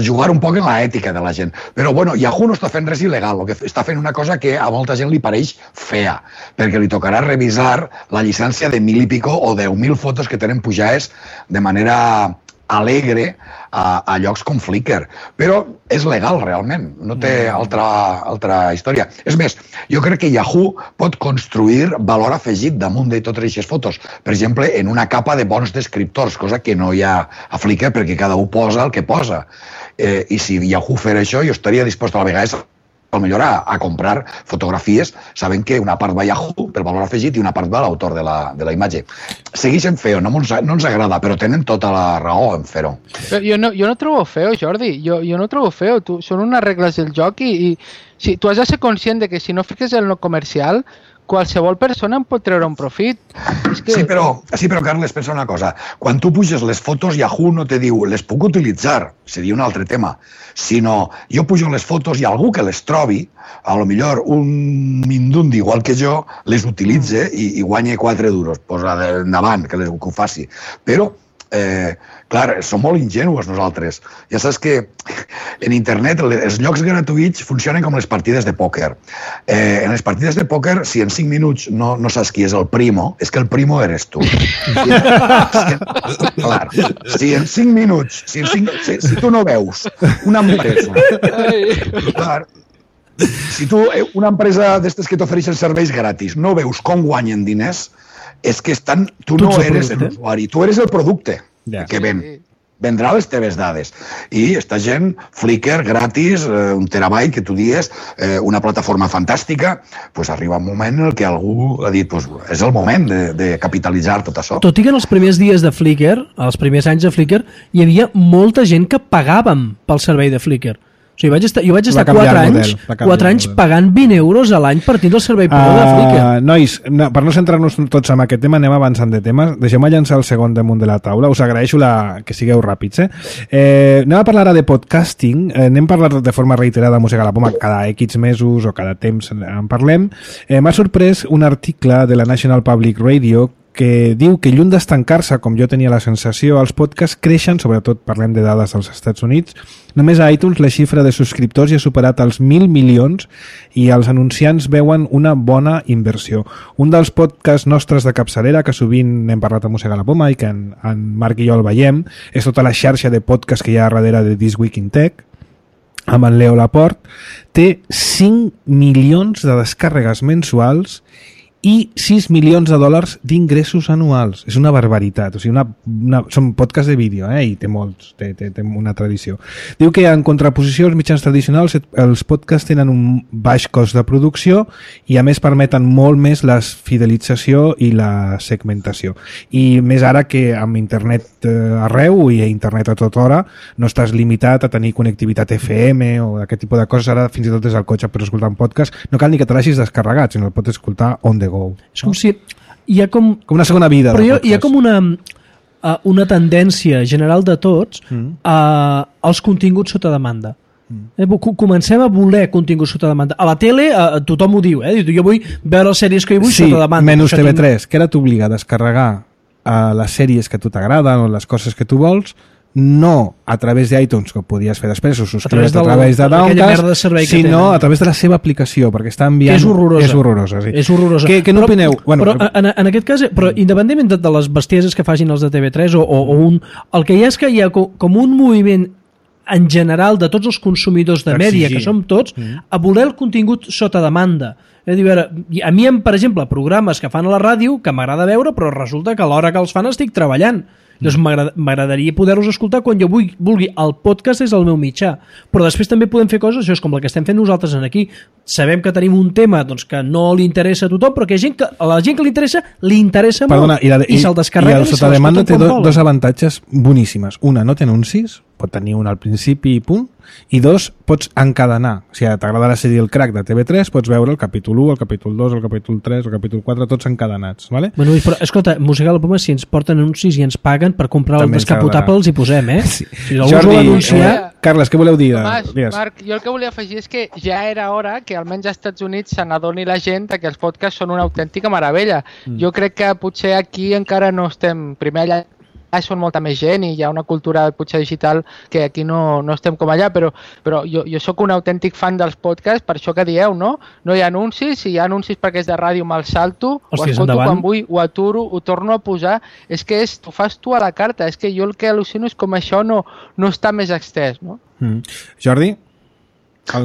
jugar un poc en l'ètica de la gent. Però Yahoo no està fent res il·legal, està fent una cosa que a molta gent li pareix fea, perquè li tocarà revisar la llicència de 1.000 i pico o 10.000 fotos que tenen pujades de manera alegre a llocs com Flickr. Però és legal, realment. No té altra història. És més, jo crec que Yahoo pot construir valor afegit damunt de totes aquestes fotos. Per exemple, en una capa de bons descriptors, cosa que no hi ha a Flickr perquè cada un posa el que posa. I si Yahoo fes això, jo estaria dispost a la vegada millor a comprar fotografies sabent que una part va a Yahoo per valor afegit i una part va a l'autor de la imatge. Segueixen feo, no ens agrada, però tenen tota la raó en fer-ho. Jo no trobo feo, Jordi, jo no trobo feo. Són unes regles del joc i si tu has de ser conscient de que si no fiques el no comercial, qualsevol persona en pot treure un profit. Sí, però Carles, pensa una cosa. Quan tu puges les fotos, Yahoo no te diu les puc utilitzar, seria un altre tema, sinó jo pujo les fotos i algú que les trobi, a lo millor un mindundi igual que jo, les utilitze i guanya 4 duros. Posa endavant, que ho faci. Però clar, som molt ingenuos nosaltres. Ja saps que en internet els llocs gratuïts funcionen com les partides de pòquer. En les partides de pòquer, si en 5 minuts no saps qui és el primo, és que el primo eres tu. Clar, si en 5 minuts, si tu no veus una empresa, clar, si tu, una empresa d'estes que t'ofereixen serveis gratis, no veus com guanyen diners, és que tu no eres l'usuari, tu eres el producte que vendrà les teves dades. I esta gent, Flickr, gratis, 1 terabyte, que tu dies, una plataforma fantàstica, pues arriba un moment en què algú ha dit és el moment de capitalitzar tot això. Tot i que en els primers dies de Flickr, els primers anys de Flickr, hi havia molta gent que pagàvem pel servei de Flickr. O sigui, jo vaig estar 4 anys pagant 20 euros a l'any per tindre el servei pro de Flickr. Nois, per no centrar-nos tots en aquest tema, anem avançant de temes. Deixem-me llançar el segon damunt de la taula. Us agraeixo que sigueu ràpids. Anem a parlar ara de podcasting. N'hem parlat de forma reiterada a Mossega la Poma cada X mesos o cada temps en parlem. M'ha sorprès un article de la National Public Radio que diu que lluny d'estancar-se, com jo tenia la sensació, els podcasts creixen, sobretot parlem de dades dels Estats Units. Només a iTunes la xifra de subscriptors ja ha superat els 1.000 milions i els anunciants veuen una bona inversió. Un dels podcasts nostres de capçalera, que sovint n'hem parlat a Mossega la Poma i que en Marc i jo el veiem, és tota la xarxa de podcasts que hi ha darrere de This Week in Tech, amb en Leo Laporte, té 5 milions de descàrregues mensuals i 6 milions de dòlars d'ingressos anuals. És una barbaritat. O sigui, són podcasts de vídeo, i té molts, té una tradició. Diu que en contraposició als mitjans tradicionals els podcasts tenen un baix cost de producció i a més permeten molt més la fidelització i la segmentació. I més ara que amb internet arreu i internet a tota hora no estàs limitat a tenir connectivitat FM o aquest tipus de coses. Ara fins i tot des del cotxe per escoltar un podcast no cal ni que te l'hagis descarregat, sinó el pots escoltar on the go. És com si hi ha com una segona vida. Però hi ha com una tendència general de tots als continguts sota demanda. Comencem a voler continguts sota demanda. A la tele tothom ho diu, jo vull veure les sèries que hi vull sota demanda. Sí, menys TV3, que ara t'obliga a descarregar les sèries que a tu t'agraden o les coses que tu vols, no a través d'iTunes, que ho podies fer després, o subscriure's a través de Downcast, sinó a través de la seva aplicació, perquè està enviant... És horrorosa. És horrorosa, sí. És horrorosa. Què n'opineu? Però en aquest cas, independentment de les bestieses que facin els de TV3 el que hi ha és que hi ha com un moviment en general de tots els consumidors de mèdia, que som tots, a voler el contingut sota demanda. A mi, per exemple, programes que fan a la ràdio que m'agrada veure, però resulta que a l'hora que els fan estic treballant. Doncs m'agradaria poder-los escoltar quan jo vulgui. El podcast és el meu mitjà, però després també podem fer coses, això és com la que estem fent nosaltres aquí. Sabem que tenim un tema que no li interessa a tothom, però que a la gent que li interessa molt. Perdona, i se'l descarrega. I el sota demanda té dos avantatges boníssimes. Una, no té anuncis, pot tenir un al principi i punt, i 2, pots encadenar. O sigui, t'agrada la sèrie El Crack de TV3, pots veure el capítol 1, el capítol 2, el capítol 3, el capítol 4, tots encadenats, vale? Bueno, però, escolta, Música a la Poma, si ens porten anuncis i ens paguen per comprar També el descapotable, els hi posem, Sí. Si algú us vol anunciar... Carles, què voleu dir? Marc, jo el que volia afegir és que ja era hora que almenys als Estats Units se n'adoni la gent que els podcasts són una autèntica meravella. Jo crec que potser aquí encara no estem... Primer allà són molta més gent i hi ha una cultura potser digital que aquí no estem com allà, però jo sóc un autèntic fan dels podcasts, per això que dieu, no? No hi ha anuncis, si hi ha anuncis perquè és de ràdio me'l salto, ho escolto quan vull, ho aturo, ho torno a posar, és que ho fas tu a la carta, és que jo el que al·lucino és com això no està més extès, no? Jordi?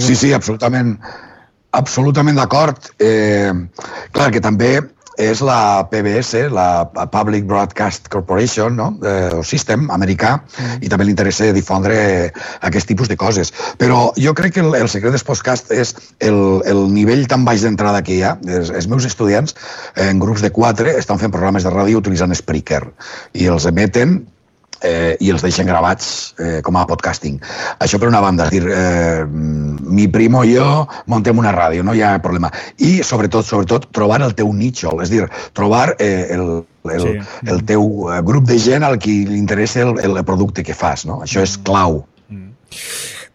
Sí, absolutament d'acord. Clar que també és la PBS, la Public Broadcast Corporation, no? O System americà, i també li interessa difondre aquest tipus de coses. Però jo crec que el secret dels podcasts és el nivell tan baix d'entrada que hi ha. Els meus estudiants, en grups de 4, estan fent programes de ràdio utilitzant Spreaker i els emeten i els deixen gravats com a podcasting. Això per una banda, és dir, mi primo i jo montem una ràdio, no hi ha problema. I sobretot trobar el teu nicho, és dir, trobar el teu grup de gent al qui li interessa el producte que fas, no? Això és clau.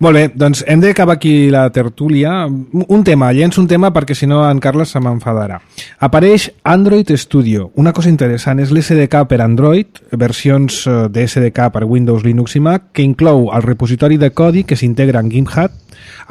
Molt bé, doncs hem d'acabar aquí la tertúlia. Un tema, llenço un tema perquè si no en Carles se m'enfadarà. Apareix Android Studio. Una cosa interessant és l'SDK per Android, versions de SDK per Windows, Linux i Mac, que inclou el repositori de codi que s'integra en GitHub,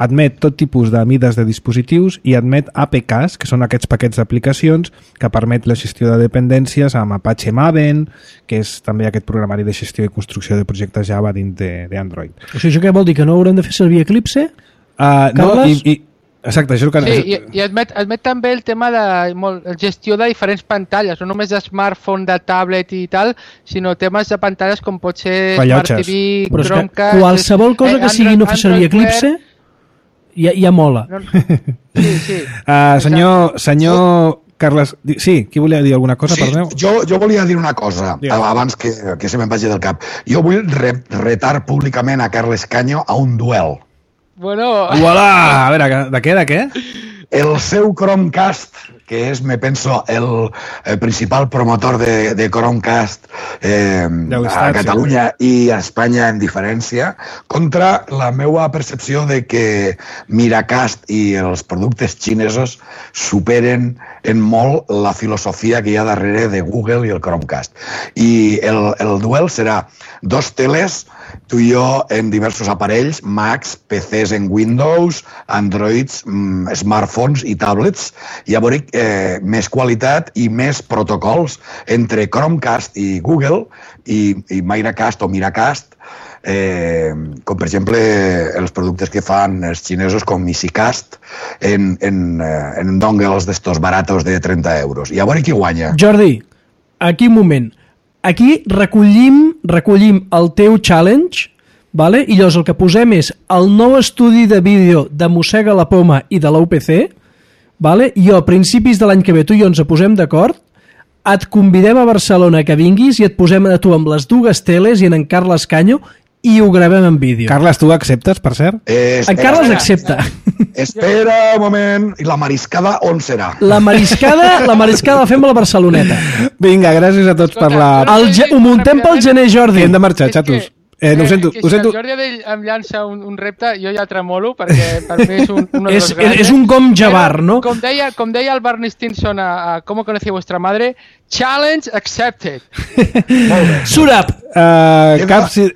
admet tot tipus de mides de dispositius i admet APKs, que són aquests paquets d'aplicacions que permet la gestió de dependències amb Apache Maven, que és també aquest programari de gestió i construcció de projectes Java dins d'Android. O sigui, això què vol dir? Que no haurem de fer servir Eclipse? No, exacte, això és el que... Sí, i admet també el tema de gestió de diferents pantalles, no només de smartphone, de tablet i tal, sinó temes de pantalles com pot ser Smart TV, Chromecast... Qualsevol cosa que sigui no fer servir Eclipse ja mola. Sí. Senyor Carles, sí, qui volia dir alguna cosa? Sí, jo volia dir una cosa, abans que se me'n vagi del cap. Jo vull retar públicament a Carles Caño a un duel. Bueno... Uala! A veure, de què? El seu Chromecast, que és, me penso, el principal promotor de Chromecast a Catalunya i a Espanya en diferència, contra la meva percepció de que Miracast i els productes xinesos superen en molt la filosofia que hi ha darrere de Google i el Chromecast. I el duel serà 2 teles, tu i jo en diversos aparells, Macs, PCs en Windows, Androids, smartphones i tablets, i a veure més qualitat i més protocols entre Chromecast i Google i Miracast o Miracast, com per exemple els productes que fan els xinesos com EasyCast en dongles d'estos baratos de 30 euros. I a veure qui guanya. Jordi, aquí un moment. Aquí recollim el teu challenge, vale? I llavors el que posem és el nou estudi de vídeo de Mossega la Poma i de l'UPC, vale? I a principis de l'any que ve tu i jo ens posem d'acord, et convidem a Barcelona que vinguis i et posem a tu amb les 2 teles i en Carles Caño i ho gravem en vídeo. Carles, tu acceptes, per cert? En Carles accepta. Espera un moment. I la mariscada on serà? La mariscada la fem a la Barceloneta. Vinga, gràcies a tots per la... Ho muntem pel gener, Jordi. Hem de marxar, xatos. No ho sento. Si el Jordi Adell em llança un repte, jo ja tremolo, perquè per mi és un dels grans. És un com Jabbar, no? Com deia el Barney Stinson a ¿Cómo conocí a vuestra madre? Challenge accepted. Molt bé. Surap!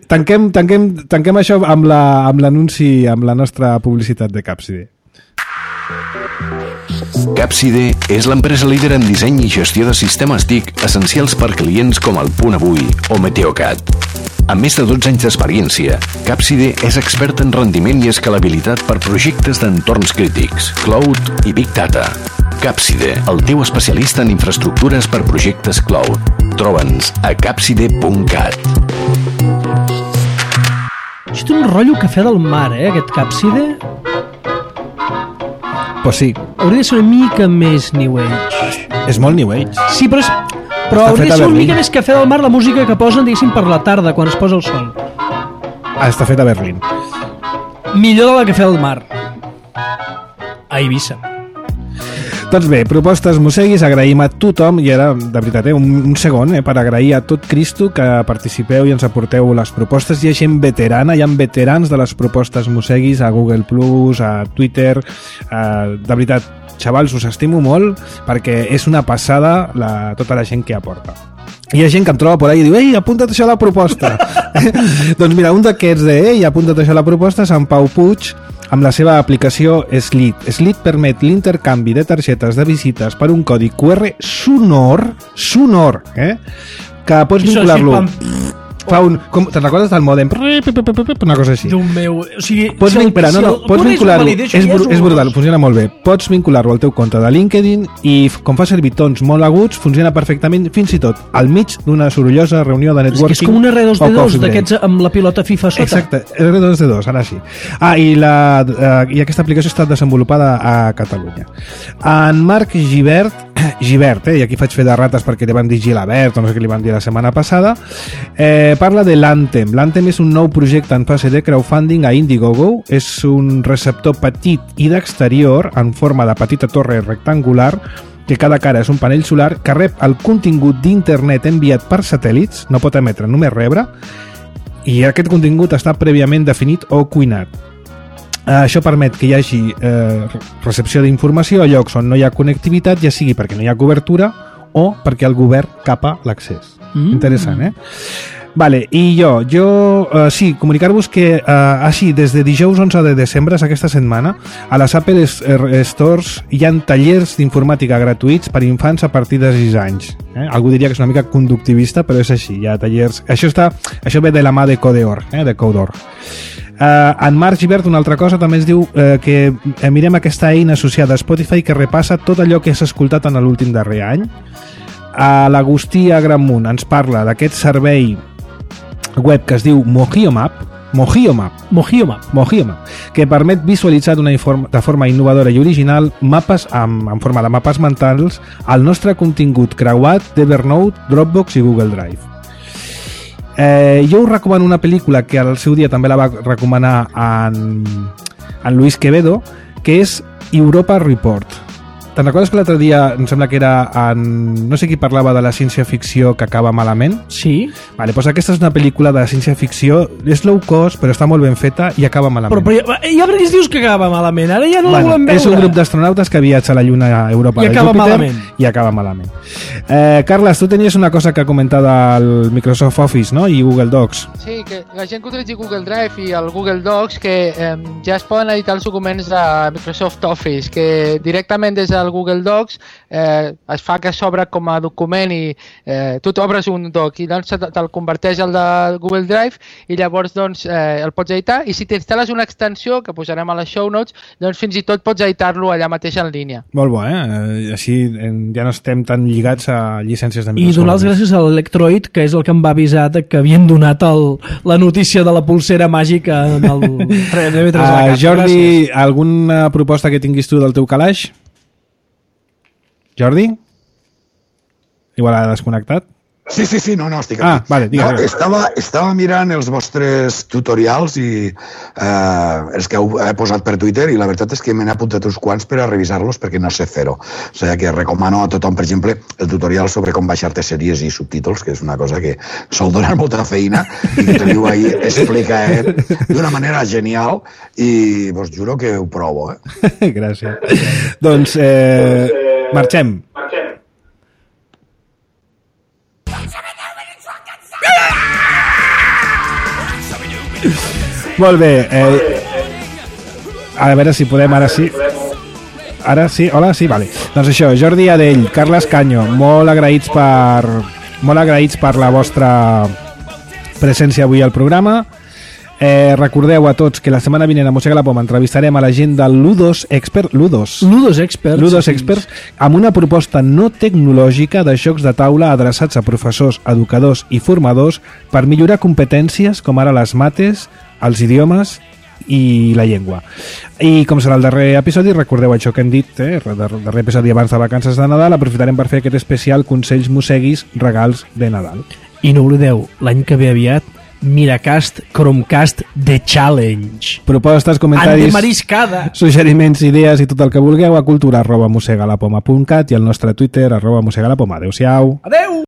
Tanquem això amb l'anunci, amb la nostra publicitat de Capside. Capside és l'empresa líder en disseny i gestió de sistemes TIC essencials per clients com el Punt Avui o Meteocat. Amb més de 12 anys d'experiència, Capside és expert en rendiment i escalabilitat per projectes d'entorns crítics, cloud i big data. Capside, el teu especialista en infraestructures per projectes cloud. Troba'ns a capside.cat. Això té un rotllo cafè del mar, aquest Capside. Pues sí. Hauria de ser una mica més New Age. És molt New Age. Sí, però hauria de ser una mica més cafè del mar la música que posen, diguéssim, per la tarda, quan es posa el sol. està fet a Berlín. Millor de la que fa el mar. A Eivissa. Doncs bé, propostes Mosseguis, agraïm a tothom, i ara, de veritat, un segon, per agrair a tot Cristo que participeu i ens aporteu les propostes. Hi ha gent veterana, hi ha veterans de les propostes Mosseguis a Google+, a Twitter, de veritat, xavals, us estimo molt, perquè és una passada tota la gent que aporta. Hi ha gent que em troba por ahí i diu «Ei, apunta't això a la proposta!» Doncs mira, un d'aquests «Ei, apunta't això a la proposta» és en Pau Puig, amb la seva aplicació Slit. Slit permet l'intercanvi de targetes de visites per un codi QR sonor, que pots vincular-lo. Te'n recordes del mòdem? Una cosa així. Déu meu, o sigui... Pots vincular-lo, és brutal, funciona molt bé. Pots vincular-lo al teu compte de LinkedIn i com fa servir tons molt aguts, funciona perfectament fins i tot al mig d'una sorollosa reunió de networking. És com un R2D2 d'aquests amb la pilota FIFA sota. Exacte, R2D2, ara sí. I aquesta aplicació ha estat desenvolupada a Catalunya. En Marc Gibert, i aquí faig fer de rates perquè li van dir Gilabert o no sé què li van dir la setmana passada, parla de l'Anthem. L'Anthem és un nou projecte en fase de crowdfunding a Indiegogo. És un receptor petit i d'exterior en forma de petita torre rectangular que cada cara és un panell solar que rep el contingut d'internet enviat per satèl·lits, no pot emetre, només rebre, i aquest contingut està prèviament definit o cuinat. Això permet que hi hagi recepció d'informació a llocs on no hi ha connectivitat, ja sigui perquè no hi ha cobertura o perquè el govern capa l'accés. Interessant, Vale, i sí, comunicar-vos que així, des de dijous 11 de desembre, aquesta setmana, a les Apple Stores hi ha tallers d'informàtica gratuïts per infants a partir de 6 anys. Algú diria que és una mica conductivista, però és així, hi ha tallers... Això ve de la mà de Codeor, de Codor. En Marc Gibert, una altra cosa, també ens diu que mirem aquesta eina associada a Spotify que repassa tot allò que s'ha escoltat en l'últim darrer any. L'Agustí Agramunt ens parla d'aquest servei web que es diu Mojiomap, que permet visualitzar de forma innovadora i original mapes en forma de mapes mentals al nostre contingut creuat d'Evernote, Dropbox i Google Drive. Jo us recomano una pel·lícula que al seu dia també la va recomanar en Luis Quevedo, que és Europa Report. Te'n recordes que l'altre dia em sembla que era no sé qui parlava de la ciència-ficció que acaba malament? Sí. Vale, doncs aquesta és una pel·lícula de ciència-ficció, és low cost però està molt ben feta i acaba malament. Però ja per què dius que acaba malament? Ara ja no la volem veure. És un grup d'astronautes que viatja a la Lluna a Europa i acaba malament. I acaba malament. Carles, tu tenies una cosa que comentar del Microsoft Office, no? I Google Docs. Sí, que la gent que utilitzi Google Drive i el Google Docs que ja es poden editar els documents de Microsoft Office, que directament des del Google Docs es fa que s'obre com a document i tu t'obres un doc i doncs te'l converteix al de Google Drive i llavors doncs el pots editar, i si t'instal·les una extensió que posarem a les show notes, doncs fins i tot pots editar-lo allà mateix en línia. Molt bo, així ja no estem tan lligats a llicències de Microsoft. I donar les gràcies a l'Electroid, que és el que em va avisar que havien donat la notícia de la pulsera màgica en el TV3. Jordi, alguna proposta que tinguis tu del teu calaix? Jordi? Igual ha desconnectat? Sí, no, estic aquí. Vale, digues. Estava mirant els vostres tutorials i els que heu posat per Twitter, i la veritat és que me n'he apuntat uns quants per a revisar-los perquè no sé fer-ho. O sigui que recomano a tothom, per exemple, el tutorial sobre com baixar-te sèries i subtítols, que és una cosa que sol donar molta feina i que teniu ahí explicat d'una manera genial i vos juro que ho provo. Gràcies. Doncs marxem. Molt bé, a veure si podem, ara sí, hola, sí, vale. Doncs això, Jordi Adell, Carles Canyo, molt agraïts per la vostra presència avui al programa. Recordeu a tots que la setmana vinent a Mossega la Poma entrevistarem a la gent del Ludos Experts amb una proposta no tecnològica de jocs de taula adreçats a professors, educadors i formadors per millorar competències com ara les mates, els idiomes i la llengua. I com serà el darrer episodi, recordeu això que hem dit, el darrer episodi abans de vacances de Nadal, aprofitarem per fer aquest especial Consells Mosseguis, regals de Nadal. I no oblideu, l'any que ve aviat Miracast, Chromecast, The Challenge. Propostes, comentaris, Antemariscada. suggeriments, idees i tot el que vulgueu a cultura@mosegalapoma.cat i al nostre Twitter @mosegalapoma. Adéu-siau. Adeu!